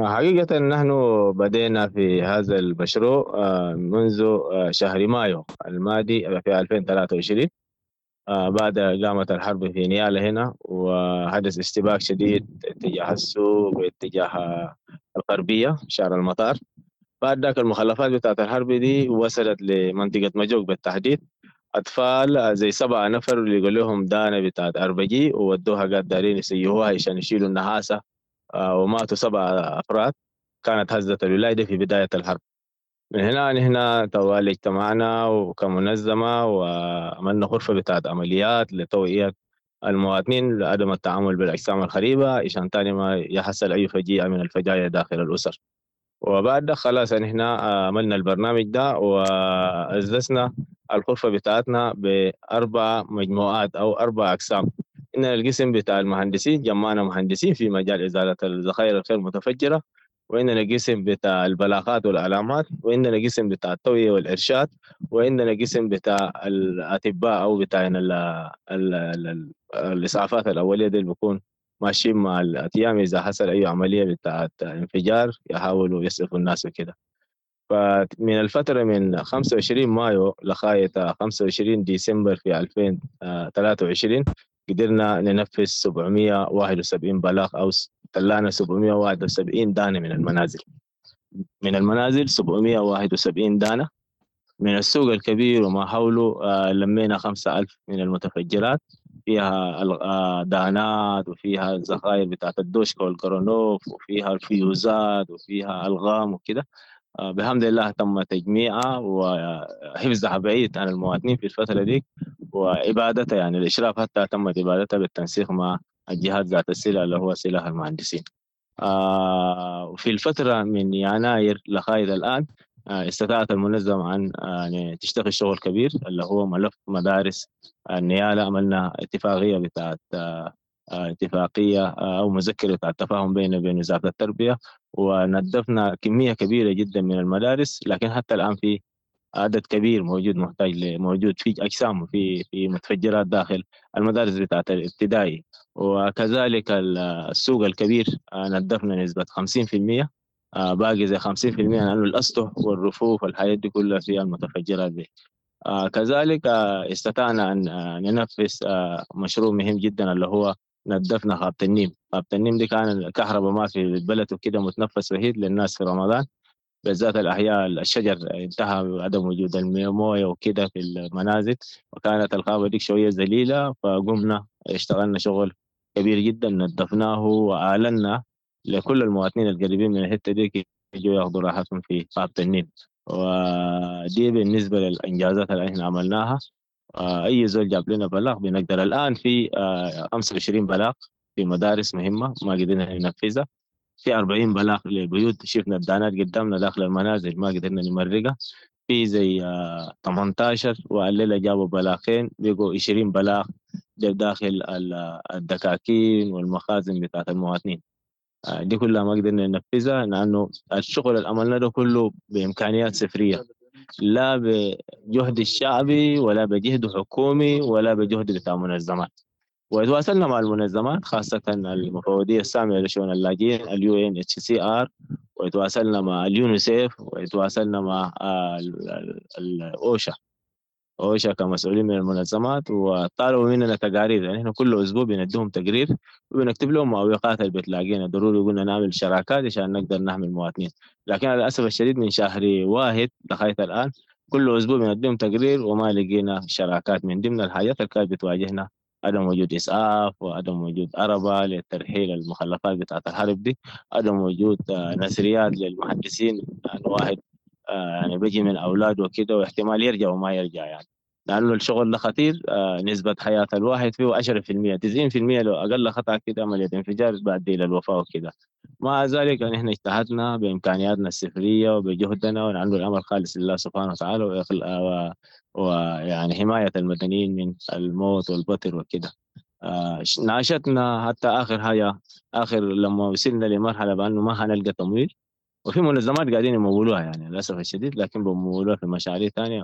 حقيقة نحن بدينا في هذا المشروع منذ شهر مايو الماضي في 2023، بعد قامت الحرب في نيالا هنا، وحدث اشتباك شديد اتجاه السوق واتجاه الغربية شارع المطار. بعد ذاك المخلفات بتاعت الحرب دي وصلت لمنطقة مجوك بالتحديد، أطفال زي 7 نفر اللي يقول لهم دانة بتاعت أربجي وودوها قاعد دارين يسيهوها عشان يشيلوا النحاسة، وماتوا 7 أفراد. كانت هزة الولاية في بداية الحرب. من هنا نحن توالي اجتمعنا وكمنظمة وعملنا غرفة بتاعت عمليات لتوعية المواطنين لعدم التعامل بالأجسام الغريبة عشان تاني ما يحصل أي فجيعة من الفجايع داخل الأسر. وبعد ده خلاص نحن عملنا البرنامج ده وأسسنا الغرفة بتاعتنا ب4 مجموعات أو 4 أقسام. إن القسم بتاع المهندسين جمعنا مهندسين في مجال إزالة الذخائر الغير متفجرة، وإننا قسم بتاع البلاغات والعلامات، وإننا قسم بتاع التوعية والإرشاد، وإننا قسم بتاع الأطباء أو بتاع الإسعافات الأولية دي اللي بيكون ماشيين مع الأتيام إذا حصل أي عملية بتاعت انفجار يحاولوا يسعفوا الناس وكده. فمن الفترة من 25 مايو لغاية 25 ديسمبر في 2023 قدرنا ننفذ 771 بلاغ أو طلعنا 771 دانة من المنازل. من المنازل 771 دانة. من السوق الكبير وما حوله لمينا 5000 من المتفجرات، فيها دانات، وفيها الذخائر بتاعت الدوشكا والكرونوف، وفيها الفيوزات، وفيها الغام وكده. بحمد الله تم تجميعها وحفظها بعيد عن المواطنين في الفترة دي، وإبادتها يعني الإشراف حتى تمت إبادتها بالتنسيق مع الجهات ذات السلة اللي هو سلاح المهندسين. وفي الفترة من يناير لغاية الآن استطاعت المنظمة أن يعني تشتغل شغل كبير اللي هو ملف مدارس النيالة. عملنا اتفاقية بتاعت اتفاقية أو مذكرة بتاعت تفاهم بيننا وبين وزارة التربية، ونظفنا كمية كبيرة جدا من المدارس، لكن حتى الآن في عدد كبير موجود محتاج موجود في أجسام وفي متفجرات داخل المدارس بتاعت الابتدائي. وكذلك السوق الكبير نظفنا نسبة 50%، باقي زي 50% لأنه الأسطح والرفوف والحاجات دي كلها فيها المتفجرات دي. كذلك استطعنا أن ننفذ مشروع مهم جدا اللي هو نظفنا غابة النيم. غابة النيم دي كان الكهرباء ما في البلد وكده، متنفس وحيد للناس في رمضان، بالذات الأحياء الشجر انتهى عدم وجود الموية وكده في المنازل، وكانت الغابة دي شوية ذليلة، فقمنا اشتغلنا شغل كبير جدا، نظفناه وأعلنا لكل المواطنين القريبين من الحتة دي يجوا ياخذوا راحتهم في غابة النيل. ودي بالنسبة للإنجازات اللي احنا عملناها. أي زول جاب لنا بلاغ بنقدر. الآن في 25 بلاغ في مدارس مهمة ما قدرنا ننفذها، في 40 بلاغ لبيوت شفنا الدانات قدامنا داخل المنازل ما قدرنا نمرقها، في زي 18 والليلة جابوا بلاغين بقوا 20 بلاغ داخل الدكاكين والمخازن بتاعت المواطنين. دي كلها ما قدرنا ننفذها لأنه الشغل اللي عملناه ده كله بإمكانيات صفرية، لا بجهد الشعبي ولا بجهد حكومي ولا بجهد بتاع منظمات. وتواصلنا مع المنظمات خاصة المفوضية السامية لشؤون اللاجئين UNHCR، وتواصلنا مع اليونيسيف، وتواصلنا مع الأوشا أوشا كمسؤولين من المنظمات، وطالبوا مننا تقارير. يعني احنا كل اسبوع بنديهم تقرير وبنكتب لهم معوقات اللي بتلاقينا، ضروري قلنا نعمل شراكات عشان نقدر نحمي المواطنين. لكن للاسف الشديد من شهر واحد لغايه الان كل اسبوع بنديهم تقرير وما لقينا شراكات. من ضمن الحاجات اللي كانت بتواجهنا عدم وجود اسعاف، وعدم وجود عربه لترحيل المخلفات بتاعت الحرب دي، عدم وجود نثريات للمهندسين، يعني واحد يعني بيجي من اولاده وكده واحتمال يرجع وما يرجع، يعني لانه الشغل ده خطير. نسبه حياه الواحد فيه 10%، 90% لو اقل خطا كده عمليه انفجار بعد الى الوفاه وكده. مع ذلك يعني احنا اجتهدنا بامكانياتنا الصفريه وبجهدنا، ونعمل الامر خالص لله سبحانه وتعالى، ويعني حمايه المدنيين من الموت والبتر وكده. ناشتنا حتى اخر حاجه، اخر لما وصلنا لمرحله بانه ما هنلقى تمويل، وفي منظمات قاعدين يمولوها يعني للاسف الشديد، لكن بيمولوها في مشاريع ثانيه.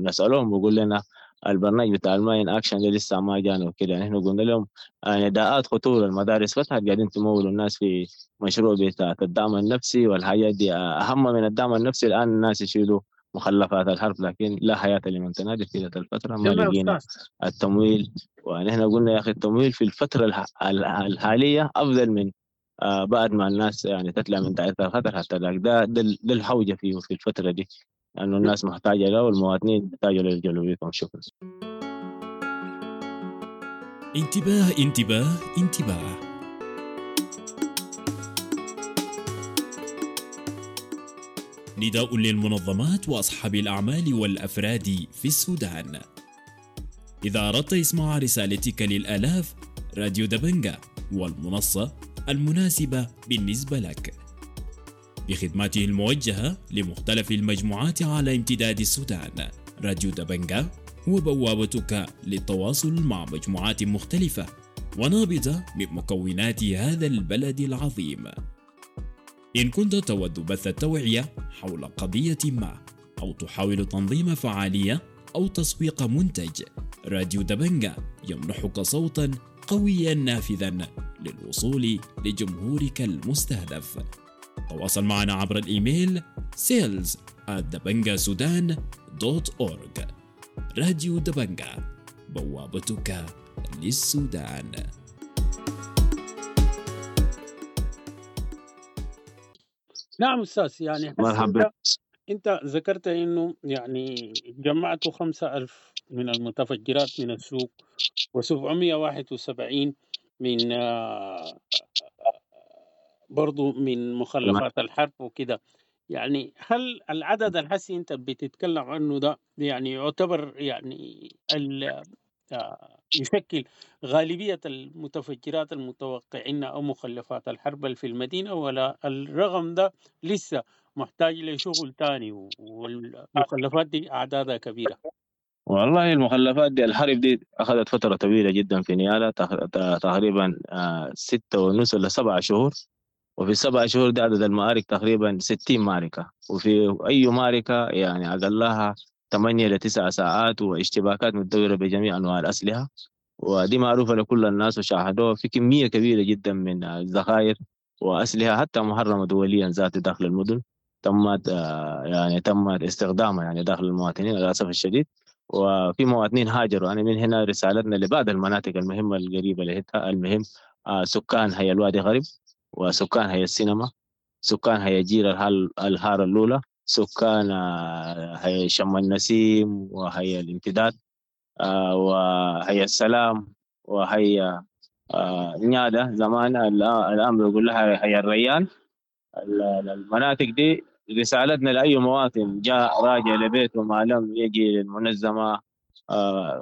بسألوهم بيقول لنا البرنامج بتاع ال mine action ده لسه ما جانا وكده. يعني احنا قلنا لهم نداءات خطوره، المدارس فتحت قاعدين تمولوا الناس في مشروع بتاع الدعم النفسي والحاجات دي، اهم من الدعم النفسي الان الناس يشيلوا مخلفات الحرب، لكن لا حياه لمن تنادي في تلك الفتره، ما لقينا التمويل. ونحن قلنا يا اخي التمويل في الفتره الحاليه افضل من بعد ما الناس يعني تطلع من دائرة الخطر، حتى ده ده الحوجة فيه في الفترة دي، لأنه الناس محتاجة له والمواطنين محتاجة له بيتهم. شكرا. انتباه انتباه انتباه. نداء للمنظمات وأصحاب الأعمال والأفراد في السودان. إذا أردت إسماع رسالتك للآلاف، راديو دبنجة والمنصة المناسبة بالنسبة لك بخدماته الموجهة لمختلف المجموعات على امتداد السودان. راديو دبنجة هو بوابتك للتواصل مع مجموعات مختلفة ونابضة من مكونات هذا البلد العظيم. إن كنت تود بث التوعية حول قضية ما، أو تحاول تنظيم فعالية أو تسويق منتج، راديو دبنجة يمنحك صوتا قويا نافذا للوصول لجمهورك المستهدف. تواصل معنا عبر الإيميل sales@dabangasudan.org. راديو دبنجا، بوابتك للسودان. نعم أستاذ، يعني مرحبا. أنت ذكرت إنه يعني جمعتوا 5000 من المتفجرات من السوق، و771 من برضو من مخلفات الحرب وكده. يعني هل العدد الحسي انت بتتكلم عنه ده يعني يعتبر يعني يشكل غالبية المتفجرات المتوقعين أو مخلفات الحرب في المدينة، ولا الرقم ده لسه محتاج لشغل تاني والمخلفات دي أعدادها كبيرة؟ والله المخلفات دي الحرب دي أخذت فترة طويلة جدا في نيالا، تقريبا 6.5 ولا 7 شهور، وفي 7 شهور دي عدد المعارك تقريبا 60 معركة، وفي أي معركة يعني أقلها 8 ل 9 ساعات، واشتباكات متدورة بجميع أنواع الأسلحة، ودي معروفة لكل الناس وشاهدوها في كمية كبيرة جدا من الذخائر وأسلحة حتى محرمة دوليا ذات داخل المدن تمت يعني تمت استخدامها يعني داخل المواطنين للأسف الشديد. وفي مواطنين هاجروا. أنا من هنا رسالتنا لبعض المناطق المهمة القريبة لهتا، المهم سكان هي الوادي غرب، وسكان هي السينما، سكان هي جير الهارة الأولى، سكان هي شم النسيم وهي الامتداد، وهي السلام، وهي نيادة زمان الآن بيقول لها هي الريان. المناطق دي رسالتنا لأي مواطن جاء راجع لبيته ما لم يجي للمنظمة،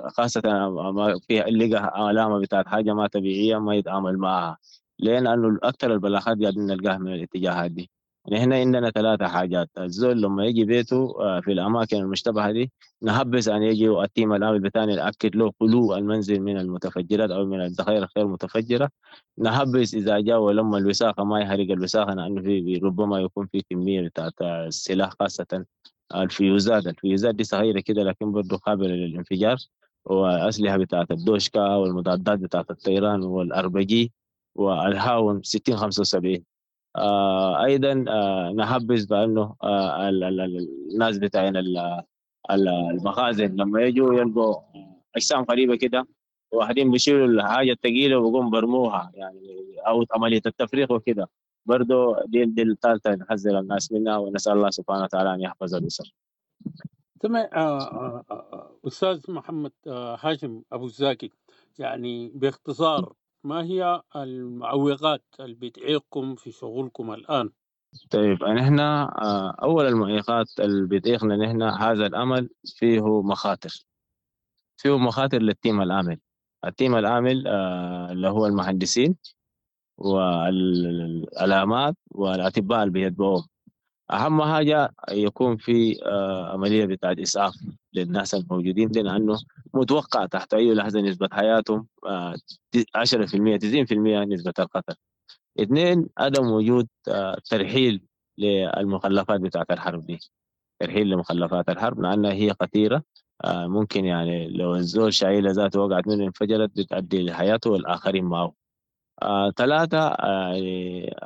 خاصة ما فيها لقى علامة بتاعت حاجة ما طبيعية ما يتعامل معها، لأن أكثر البلاغات قاعدين نلقاها من الاتجاهات دي. نحن عندنا 3 حاجات: الزول لما يجي بيته في الأماكن المشتبهة دي نحبس أن يجي ال team العامل بتاعنا يأكد له خلو المنزل من المتفجرات أو من الذخائر الغير متفجرة. نحبس إذا جاء ولما الوساخة ما يحرق الوساخة، لأنه في ربما يكون في كمية بتاعت السلاح، خاصة الفيوزات. الفيوزات دي صغيرة كده لكن برضو قابلة للانفجار، وأسلحة بتاعت الدوشكا والمضادات بتاعت الطيران والأربجي والهاون 6075. أيضا نحبس بأنه الناس بتاعين المخازن لما يجوا يلقوا أجسام غريبة كده، واحدين بيشيلوا الحاجة الثقيلة وبيقوم برموها يعني، أو عملية التفريغ وكده. برضو دي الثالثة نحذر الناس منها، ونسأل الله سبحانه وتعالى أن يحفظ الأسر. تمام. أستاذ محمد هاشم أبو الزاكي، يعني باختصار ما هي المعوقات اللي بتعيقكم في شغلكم الآن؟ طيب، نحن أول المعيقات اللي بتعيقنا نحن هذا العمل فيه مخاطر، فيه مخاطر لل team العامل. ال team العامل اللي هو المهندسين والعلامات والأطباء اللي بيتبعوهم. أهم حاجة يكون في عملية بتاعت إسعاف للناس الموجودين، لأنه متوقع تحت أي لحظة نسبة حياتهم 10% 90% نسبة القتل. 2، عدم وجود ترحيل للمخلفات بتاعت الحرب دي، ترحيل لمخلفات الحرب لأنها هي خطيرة، ممكن يعني لو الزول شايلة ذاته وقعت منه انفجرت بتؤدي لحياته والآخرين معه. 3،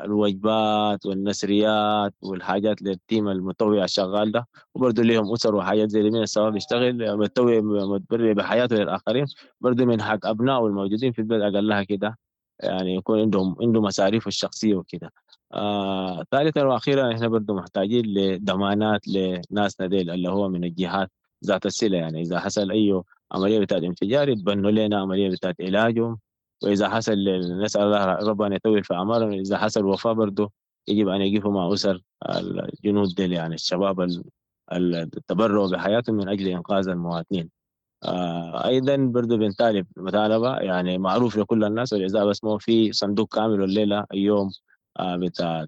الوجبات والنسريات والحاجات للتيم المتطوع الشغال ده، وبرضه ليهم أسر وحاجات زي دي، من السبب يشتغل متطوع متبرع بحياته للآخرين، برضه من حق أبنائه الموجودين في البلد أقلها كده يعني يكون عنده مصاريفه الشخصية وكده. ثالثا وأخيرا، إحنا برضه محتاجين لضمانات لناسنا ديل اللي هو من الجهات ذات الصلة، يعني إذا حصل أي عملية بتاعت انفجار يتبنوا لنا عملية بتاعت علاجهم، وإذا حصل نسأل الله ربنا يطول في أعمارهم، إذا حصل وفاة برضه يجب أن يقفوا مع أسر الجنود ديل، يعني الشباب التبرعوا بحياتهم من أجل إنقاذ المواطنين. أيضا برضه بنطالب مطالبة يعني معروف لكل الناس، والإذا بس ما في صندوق كامل والليلة اليوم بتاع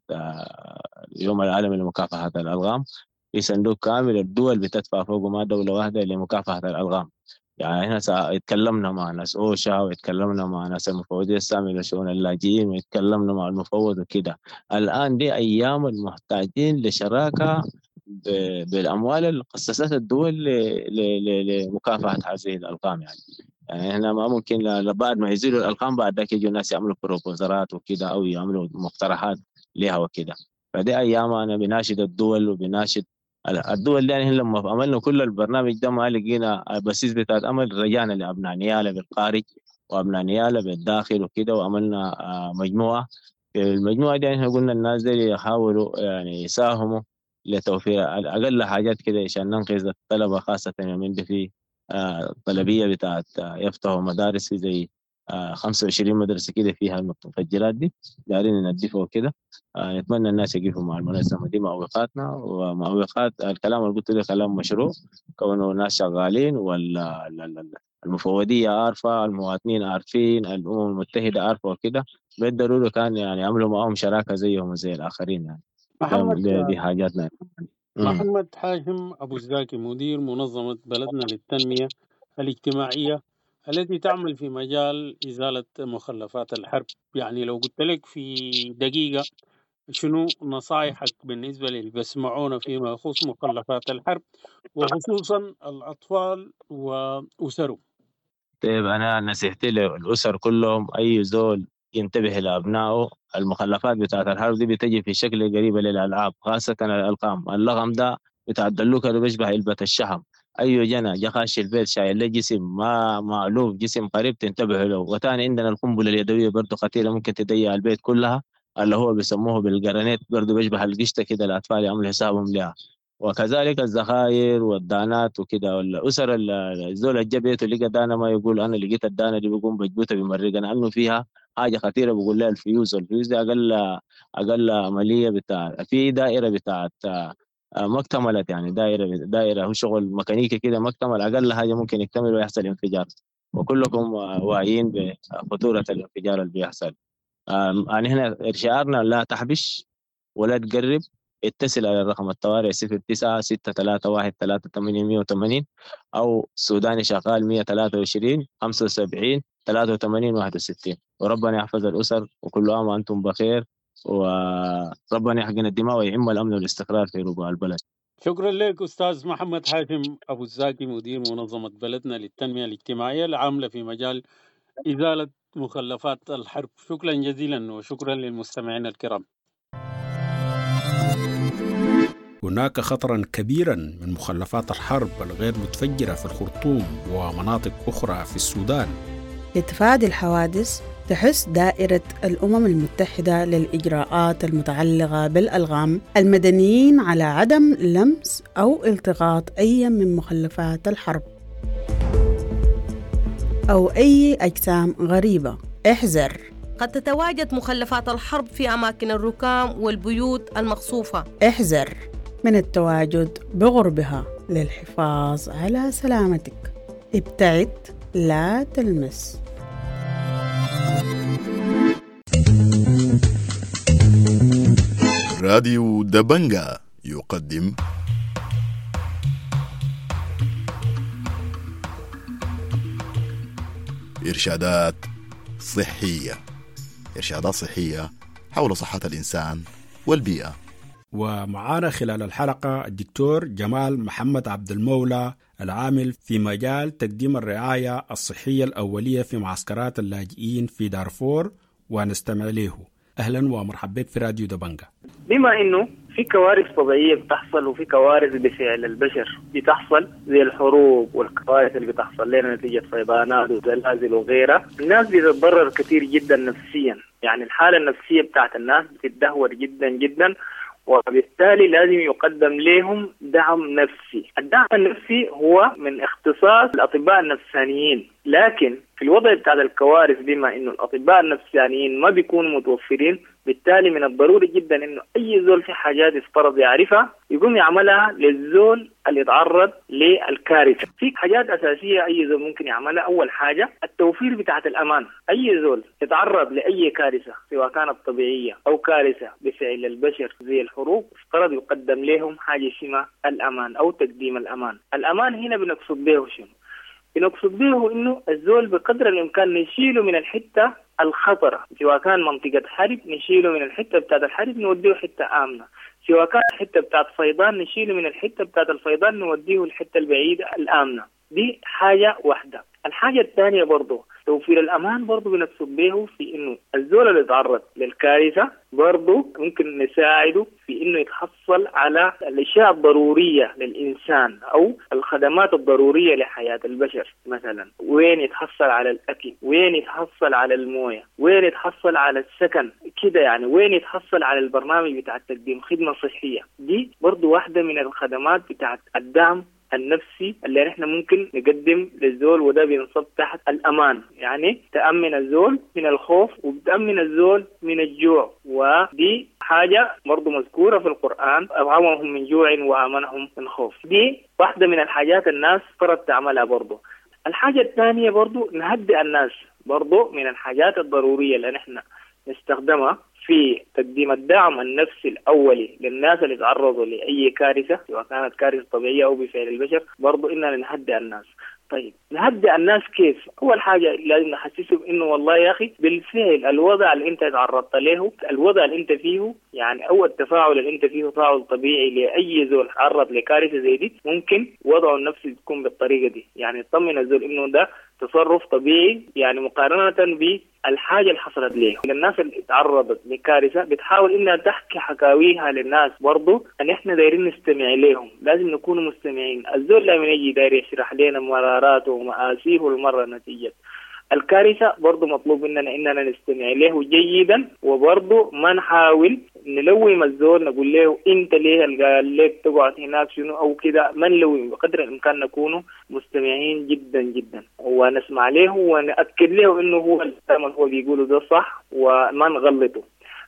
اليوم العالمي لمكافحة الألغام، في صندوق كامل الدول بتدفع فوقه، ما دولة واحدة لمكافحة الألغام. يعني احنا اتكلمنا مع ناس أوشا، واتكلمنا مع ناس المفوضية السامية لشؤون اللاجئين، واتكلمنا مع المفوض وكده. الآن دي أيام المحتاجين لشراكة بالأموال اللي خصصتها الدول لمكافحة هذه الألغام. يعني احنا ما ممكن بعد ما يزيلوا الألغام بعد ذاك يجوا الناس يعملوا بروبوزرات وكده أو يعملوا مقترحات لها وكده. فدي أيام أنا بناشد الدول وبناشد الدول دي. يعني لما عملنا كل البرنامج ده ما لقينا بسيس بتاعت أمل، رجعنا لأبناء نيالة بالخارج وأبناء نيالة بالداخل وكده، وعملنا مجموعة. في المجموعة دي يعني قلنا الناس دي يحاولوا يعني يساهموا لتوفير أقل حاجات كده عشان ننقذ الطلبة، خاصة من دي في طلبية بتاعت يفتحوا مدارس زي 25 مدرسة كده فيها المتفجرات دي، دارين ننظفها وكده. نتمنى الناس يقفوا مع المنظمة دي، معوقاتنا ومعوقات الكلام اللي قلت له كلام مشروع، كونه ناس شغالين والمفوضية عارفة، المواطنين عارفين، الأمم المتحدة عارفة وكده، بالضرورة كان يعني عملوا معهم شراكة زيهم زي الآخرين يعني. محمد دي حاجاتنا. محمد حاشم أبو الزاكي، مدير منظمة بلدنا للتنمية الاجتماعية التي تعمل في مجال إزالة مخلفات الحرب، يعني لو قلت لك في دقيقة شنو نصائحك بالنسبة للي بيسمعونا فيما يخص مخلفات الحرب وخصوصا الأطفال وأسرهم؟ طيب، أنا نصيحتي للأسر كلهم، أي زول ينتبه لأبنائه. المخلفات بتاعت الحرب دي بتجي في شكل قريبة للألعاب، خاصة الألقام. اللغم ده بتاع الدلوكة ده بيشبه علبة الشحم. أي جنى جا خاش البيت شايل له جسم ما مألوف، جسم قريب، تنتبه له. وثاني عندنا القنبلة اليدوية برضو خطيرة، ممكن تضيع البيت كلها، اللي هو بيسموه بالجرانيت، برضو بيشبه القشطة كده، الأطفال يعملوا حسابهم لها. وكذلك الذخائر والدانات وكده. والأسر الزول اللي جا بيته لقى دانة ما يقول أنا لقيت الدانة دي، بيقوم بجبوتها بيمرقها، لأنه فيها حاجة خطيرة. بقول لها الفيوز، والفيوز دي أقل عملية بتاع في دائرة بتاعت ما اكتملت، يعني دائرة هو شغل ميكانيكي كده ما اكتمل، أقل حاجة ممكن يكتمل ويحصل انفجار. وكلكم واعيين بخطورة الانفجار اللي بيحصل. يعني هنا شعارنا لا تحبش ولا تقرب، اتصل على رقم الطوارئ 09 631 3880 أو سوداني شغال 123 75 83 61. وربنا يحفظ الأسر، وكل عام وأنتم بخير، وربنا يحقن الدماء ويعم الأمن والاستقرار في ربوع البلد. شكرا لك أستاذ محمد حاتم أبو الزاكي، مدير منظمة بلدنا للتنمية الاجتماعية العاملة في مجال إزالة مخلفات الحرب. شكرا جزيلا، وشكرا للمستمعين الكرام. هناك خطرا كبيرا من مخلفات الحرب الغير متفجرة في الخرطوم ومناطق أخرى في السودان. لتفادي الحوادث تحث دائرة الأمم المتحدة للإجراءات المتعلقة بالألغام المدنيين على عدم لمس أو التقاط أي من مخلفات الحرب أو أي أجسام غريبة. احذر، قد تتواجد مخلفات الحرب في أماكن الركام والبيوت المقصوفة. احذر من التواجد بغربها للحفاظ على سلامتك. ابتعد، لا تلمس. راديو دبنجا يقدم إرشادات صحية، إرشادات صحية حول صحة الإنسان والبيئة. ومعانا خلال الحلقة الدكتور جمال محمد عبد المولى، العامل في مجال تقديم الرعاية الصحية الأولية في معسكرات اللاجئين في دارفور، ونستمع له. أهلا ومرحبا بك في راديو دبنجا. بما إنه في كوارث طبيعية بتحصل وفي كوارث بفعل البشر بتحصل، زي الحروب والكوارث اللي بتحصل لنا نتيجة فيضانات وزلازل وغيرها، الناس بتتضرر كثير جدا نفسيا. يعني الحالة النفسية بتاعت الناس بتتدهور جدا جدا، وبالتالي لازم يقدم لهم دعم نفسي. الدعم النفسي هو من اختصاص الأطباء النفسانيين، لكن في الوضع بتاع الكوارث بما إنه الأطباء النفسانيين ما بيكونوا متوفرين، بالتالي من الضروري جدا إنه أي زول في حاجات يفترض يعرفها يقوم يعملها للزول اللي يتعرض للكارثة. في حاجات أساسية أي زول ممكن يعملها. أول حاجة التوفير بتاعة الأمان. أي زول يتعرض لأي كارثة سواء كانت طبيعية أو كارثة بفعل البشر زي الحروب، افترض يقدم لهم حاجة اسمها الأمان أو تقديم الأمان. الأمان هنا بنقصد به شنو؟ بنقصد به إنه الزول بقدر الإمكان نشيله من الحتة الخطرة، سواء كان منطقة حرب نشيله من الحتة بتاعت الحرب نوديه حتة آمنة، سواء كان حتة بتاعت فيضان نشيله من الحتة بتاعت الفيضان نوديه الحتة البعيدة الآمنة. دي حاجة واحدة. الحاجة الثانية برضو توفير الأمان، برضو بنقصد به في إنه الزول اللي يتعرض للكارثة برضو ممكن نساعده في إنه يتحصل على الأشياء الضرورية للإنسان أو الخدمات الضرورية لحياة البشر. مثلا وين يتحصل على الأكل، وين يتحصل على الموية، وين يتحصل على السكن كده يعني، وين يتحصل على البرنامج بتاع تقديم خدمة صحية. دي برضو واحدة من الخدمات بتاعت الدعم النفسي اللي نحن ممكن نقدم للزول، وده بينصب تحت الأمان. يعني تأمن الزول من الخوف وبتأمن الزول من الجوع، ودي حاجة برضو مذكورة في القرآن، أطعمهم من جوع وآمنهم من خوف. دي واحدة من الحاجات الناس فرض تعملها برضو. الحاجة الثانية برضو نهدئ الناس، برضو من الحاجات الضرورية اللي نحن نستخدمها في تقديم الدعم النفسي الأولي للناس اللي تعرضوا لأي كارثة، سواء كانت كارثة طبيعية أو بفعل البشر، برضو إننا نهدئ الناس. طيب نهدئ الناس كيف؟ أول حاجة لازم نحسسهم إنه والله يا أخي بالفعل الوضع اللي أنت تعرضت له، الوضع اللي أنت فيه يعني، أو التفاعل اللي أنت فيه تفاعل طبيعي لأي زول تعرض لكارثة زي دي، ممكن وضعه النفسي تكون بالطريقة دي. يعني يطمن الزول إنه ده تصرف طبيعي، يعني مقارنة بالحاجة اللي حصلت ليه. الناس اللي تعرضت لكارثة بتحاول إنها تحكي حكاويها للناس، برضو أن إحنا دايرين نستمع لهم، لازم نكون مستمعين. الزول لما يجي داير يشرح لنا مراراته ومآسيه المرة نتيجة الكارثة، برضو مطلوب مننا إننا نستمع له جيدا، وبرضو ما نحاول نلوم الزول نقول له أنت ليه قال لك تقعد هناك شنو أو كده، ما نلوم، بقدر الإمكان نكون مستمعين جدا جدا ونسمع له ونأكد له إنه هو الكلام اللي هو بيقوله ده صح وما نغلطه.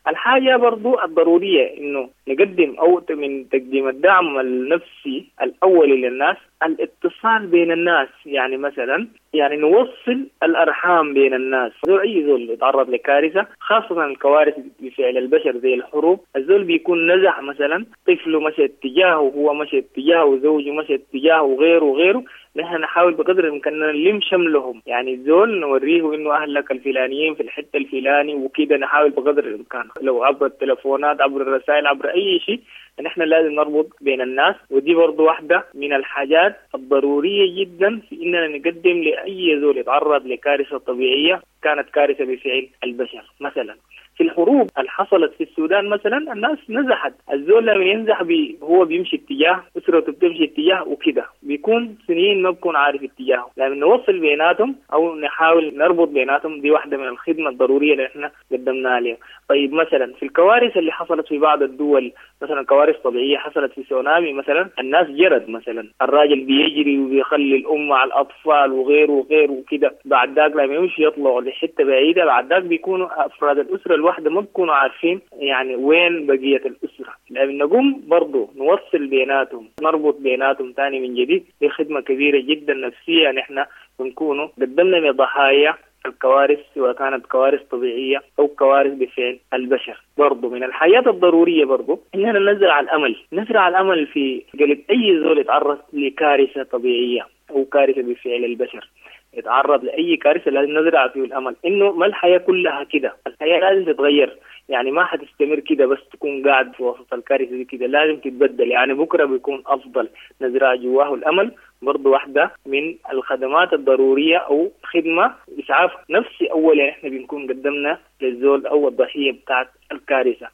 الحاجة برضو الضرورية إنه نقدم أو من تقديم الدعم النفسي الأولي للناس الاتصال بين الناس. يعني مثلا يعني نوصل الأرحام بين الناس. زول أي زول يتعرض لكارثة، خاصة الكوارث بفعل البشر زي الحروب، الزول بيكون نزح مثلا، طفله مشى اتجاهه وهو مشى اتجاهه وزوجه مشى اتجاهه وغيره وغيره. نحن نحاول بقدر الإمكان نلم شملهم، يعني الزول نوريه إنه أهلك الفلانيين في الحتة الفلاني وكده، نحاول بقدر الإمكان لو عبر التلفونات عبر الرسائل عبر أي شيء، نحن لازم نربط بين الناس. ودي برضو واحدة من الحاجات الضرورية جدا في إننا نقدم لأي زول يتعرض لكارثة طبيعية كانت كارثة بفعل البشر. مثلا في الحروب اللي حصلت في السودان مثلا الناس نزحت، الزول لما ينزح هو بيمشي اتجاه، أسرته بتمشي اتجاه وكده، بيكون سنين ما بكون عارف اتجاهه. لما نوصل بيناتهم أو نحاول نربط بيناتهم، دي واحدة من الخدمة الضرورية اللي احنا قدمناها لهم. طيب مثلا في الكوارث اللي حصلت في بعض الدول، مثلا كوارث طبيعية حصلت في سونامي مثلا، الناس جرت مثلا، الراجل بيجري وبيخلي الأم مع الأطفال وغيره وغيره وكده، بعد ذاك لما يمشي يطلعوا لحتة بعيدة، بعد ذاك بيكونوا أفراد الأسرة الواحدة ما بيكونوا عارفين يعني وين بقية الأسرة. لأن نقوم برضو نوصل بيناتهم، نربط بيناتهم تاني من جديد، دي خدمة كبيرة جدا نفسية نحن بنكونوا قدمنا لضحايا الكوارث، سواء كانت كوارث طبيعية أو كوارث بفعل البشر. برضو من الحياة الضرورية برضو إننا نزرع الأمل، نزرع الأمل في قلب أي زول يتعرض لكارثة طبيعية أو كارثة بفعل البشر، يتعرض لأي كارثة لازم نزرع فيه الأمل إنه ما الحياة كلها كده، الحياة لازم تتغير، يعني ما حتستمر كده بس تكون قاعد في وسط الكارثة دي كده، لازم تتبدل، يعني بكرة بيكون أفضل. نزرع جواه الأمل برضو واحدة من الخدمات الضرورية أو خدمة إسعاف نفسي أول، يعني إحنا بنكون قدمنا للزول أو الضحية بتاعت الكارثة.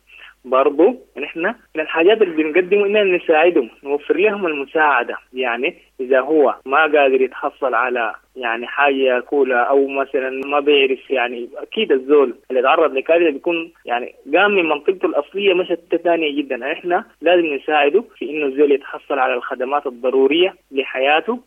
برضو نحن من الحاجات اللي بنقدمه إننا نساعدهم، نوفر لهم المساعدة. يعني إذا هو ما قادر يتحصل على يعني حاجة ياكلها أو مثلا ما بيعرف، يعني أكيد الزول اللي تعرض لكارثة بيكون يعني قام من منطقته الأصلية مشت ثانية جدا، إحنا لازم نساعده في إنه الزول يتحصل على الخدمات الضرورية لحياته.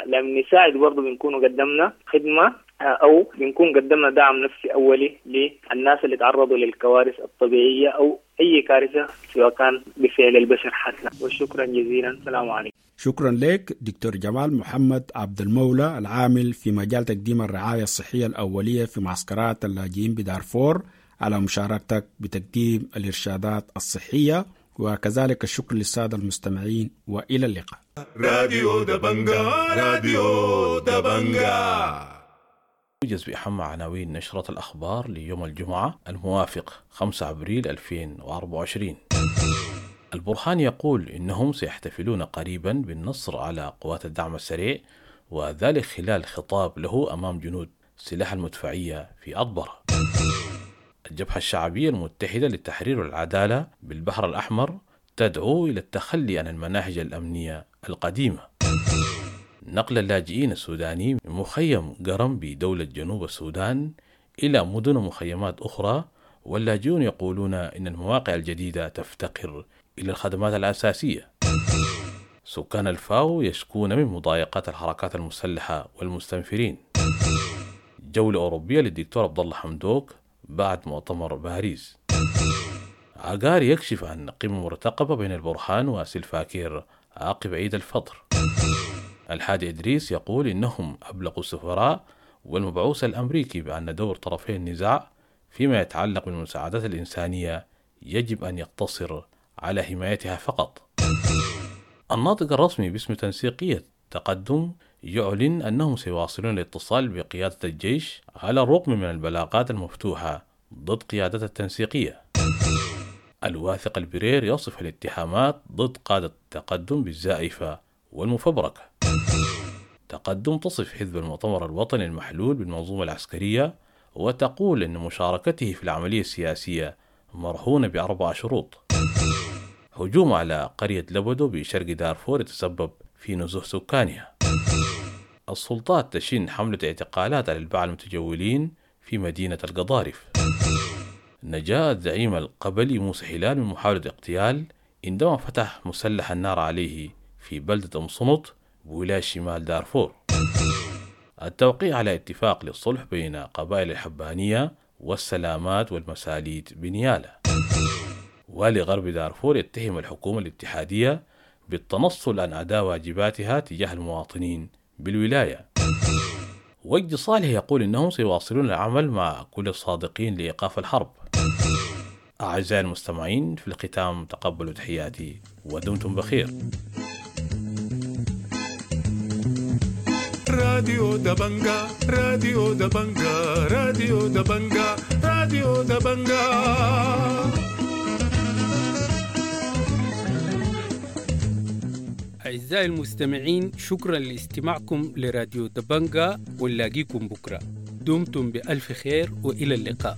لما نساعد برضو بنكون قدمنا خدمة أو بنكون قدمنا دعم نفسي أولي للناس اللي تعرضوا للكوارث الطبيعية أو أي كارثة سواء كان بفعل البشر حتى. وشكرا جزيلا، السلام عليكم. شكرا لك دكتور جمال محمد عبد المولى، العامل في مجال تقديم الرعاية الصحية الأولية في معسكرات اللاجئين بدارفور، على مشاركتك بتقديم الإرشادات الصحية، وكذلك الشكر للسادة المستمعين، وإلى اللقاء. راديو دبنجا، راديو دبنجا. يوجز بأهم عناوين نشرة الأخبار ليوم الجمعة الموافق 5 أبريل 2024. البرهان يقول إنهم سيحتفلون قريبا بالنصر على قوات الدعم السريع، وذلك خلال خطاب له أمام جنود سلاح المدفعية في أطبرة. الجبهة الشعبية المتحدة للتحرير والعدالة بالبحر الأحمر تدعو إلى التخلي عن المناهج الأمنية القديمة. نقل اللاجئين السودانيين من مخيم قرم بدولة جنوب السودان إلى مدن ومخيمات أخرى، واللاجئون يقولون إن المواقع الجديدة تفتقر إلى الخدمات الأساسية. سكان الفاو يشكون من مضايقات الحركات المسلحة والمستنفرين. جولة أوروبية للدكتور عبد الله حمدوك بعد مؤتمر باريس. عقار يكشف عن قمة مرتقبة بين البرهان وسلفاكير عقب عيد الفطر. الحادي إدريس يقول إنهم أبلغوا السفراء والمبعوث الأمريكي بأن دور طرفي النزاع فيما يتعلق بالمساعدات الإنسانية يجب أن يقتصر على حمايتها فقط. الناطق الرسمي باسم تنسيقية تقدم يعلن أنهم سيواصلون الاتصال بقيادة الجيش على الرغم من البلاغات المفتوحة ضد قيادة التنسيقية. الواثق البرير يصف الاتهامات ضد قادة التقدم بالزائفة والمفبركة. تقدم تصف حزب المؤتمر الوطني المحلول بالمنظومة العسكرية وتقول إن مشاركته في العملية السياسية مرهونة ب4 شروط. هجوم على قرية لبدو بشرق دارفور يتسبب في نزوح سكانها. السلطات تشن حملة اعتقالات على الباعة المتجولين في مدينة القضارف. نجا الزعيم القبلي موسى هلال من محاولة اغتيال عندما فتح مسلح النار عليه في بلدة أم صنط بولاية شمال دارفور. التوقيع على اتفاق للصلح بين قبائل الحبانية والسلامات والمساليت بنيالة. والي غرب دارفور يتهم الحكومة الاتحادية بالتنصل عن أداء واجباتها تجاه المواطنين بالولاية. وجدي صالح يقول إنهم سيواصلون العمل مع كل الصادقين لإيقاف الحرب. أعزائي المستمعين، في الختام تقبلوا تحياتي ودمتم بخير. راديو دبنجا، راديو دبنجا، راديو دبنجا، راديو دبنجا. أعزائي المستمعين، شكرا لاستماعكم لراديو دبنجا، ونلاقيكم بكرة. دمتم بألف خير وإلى اللقاء.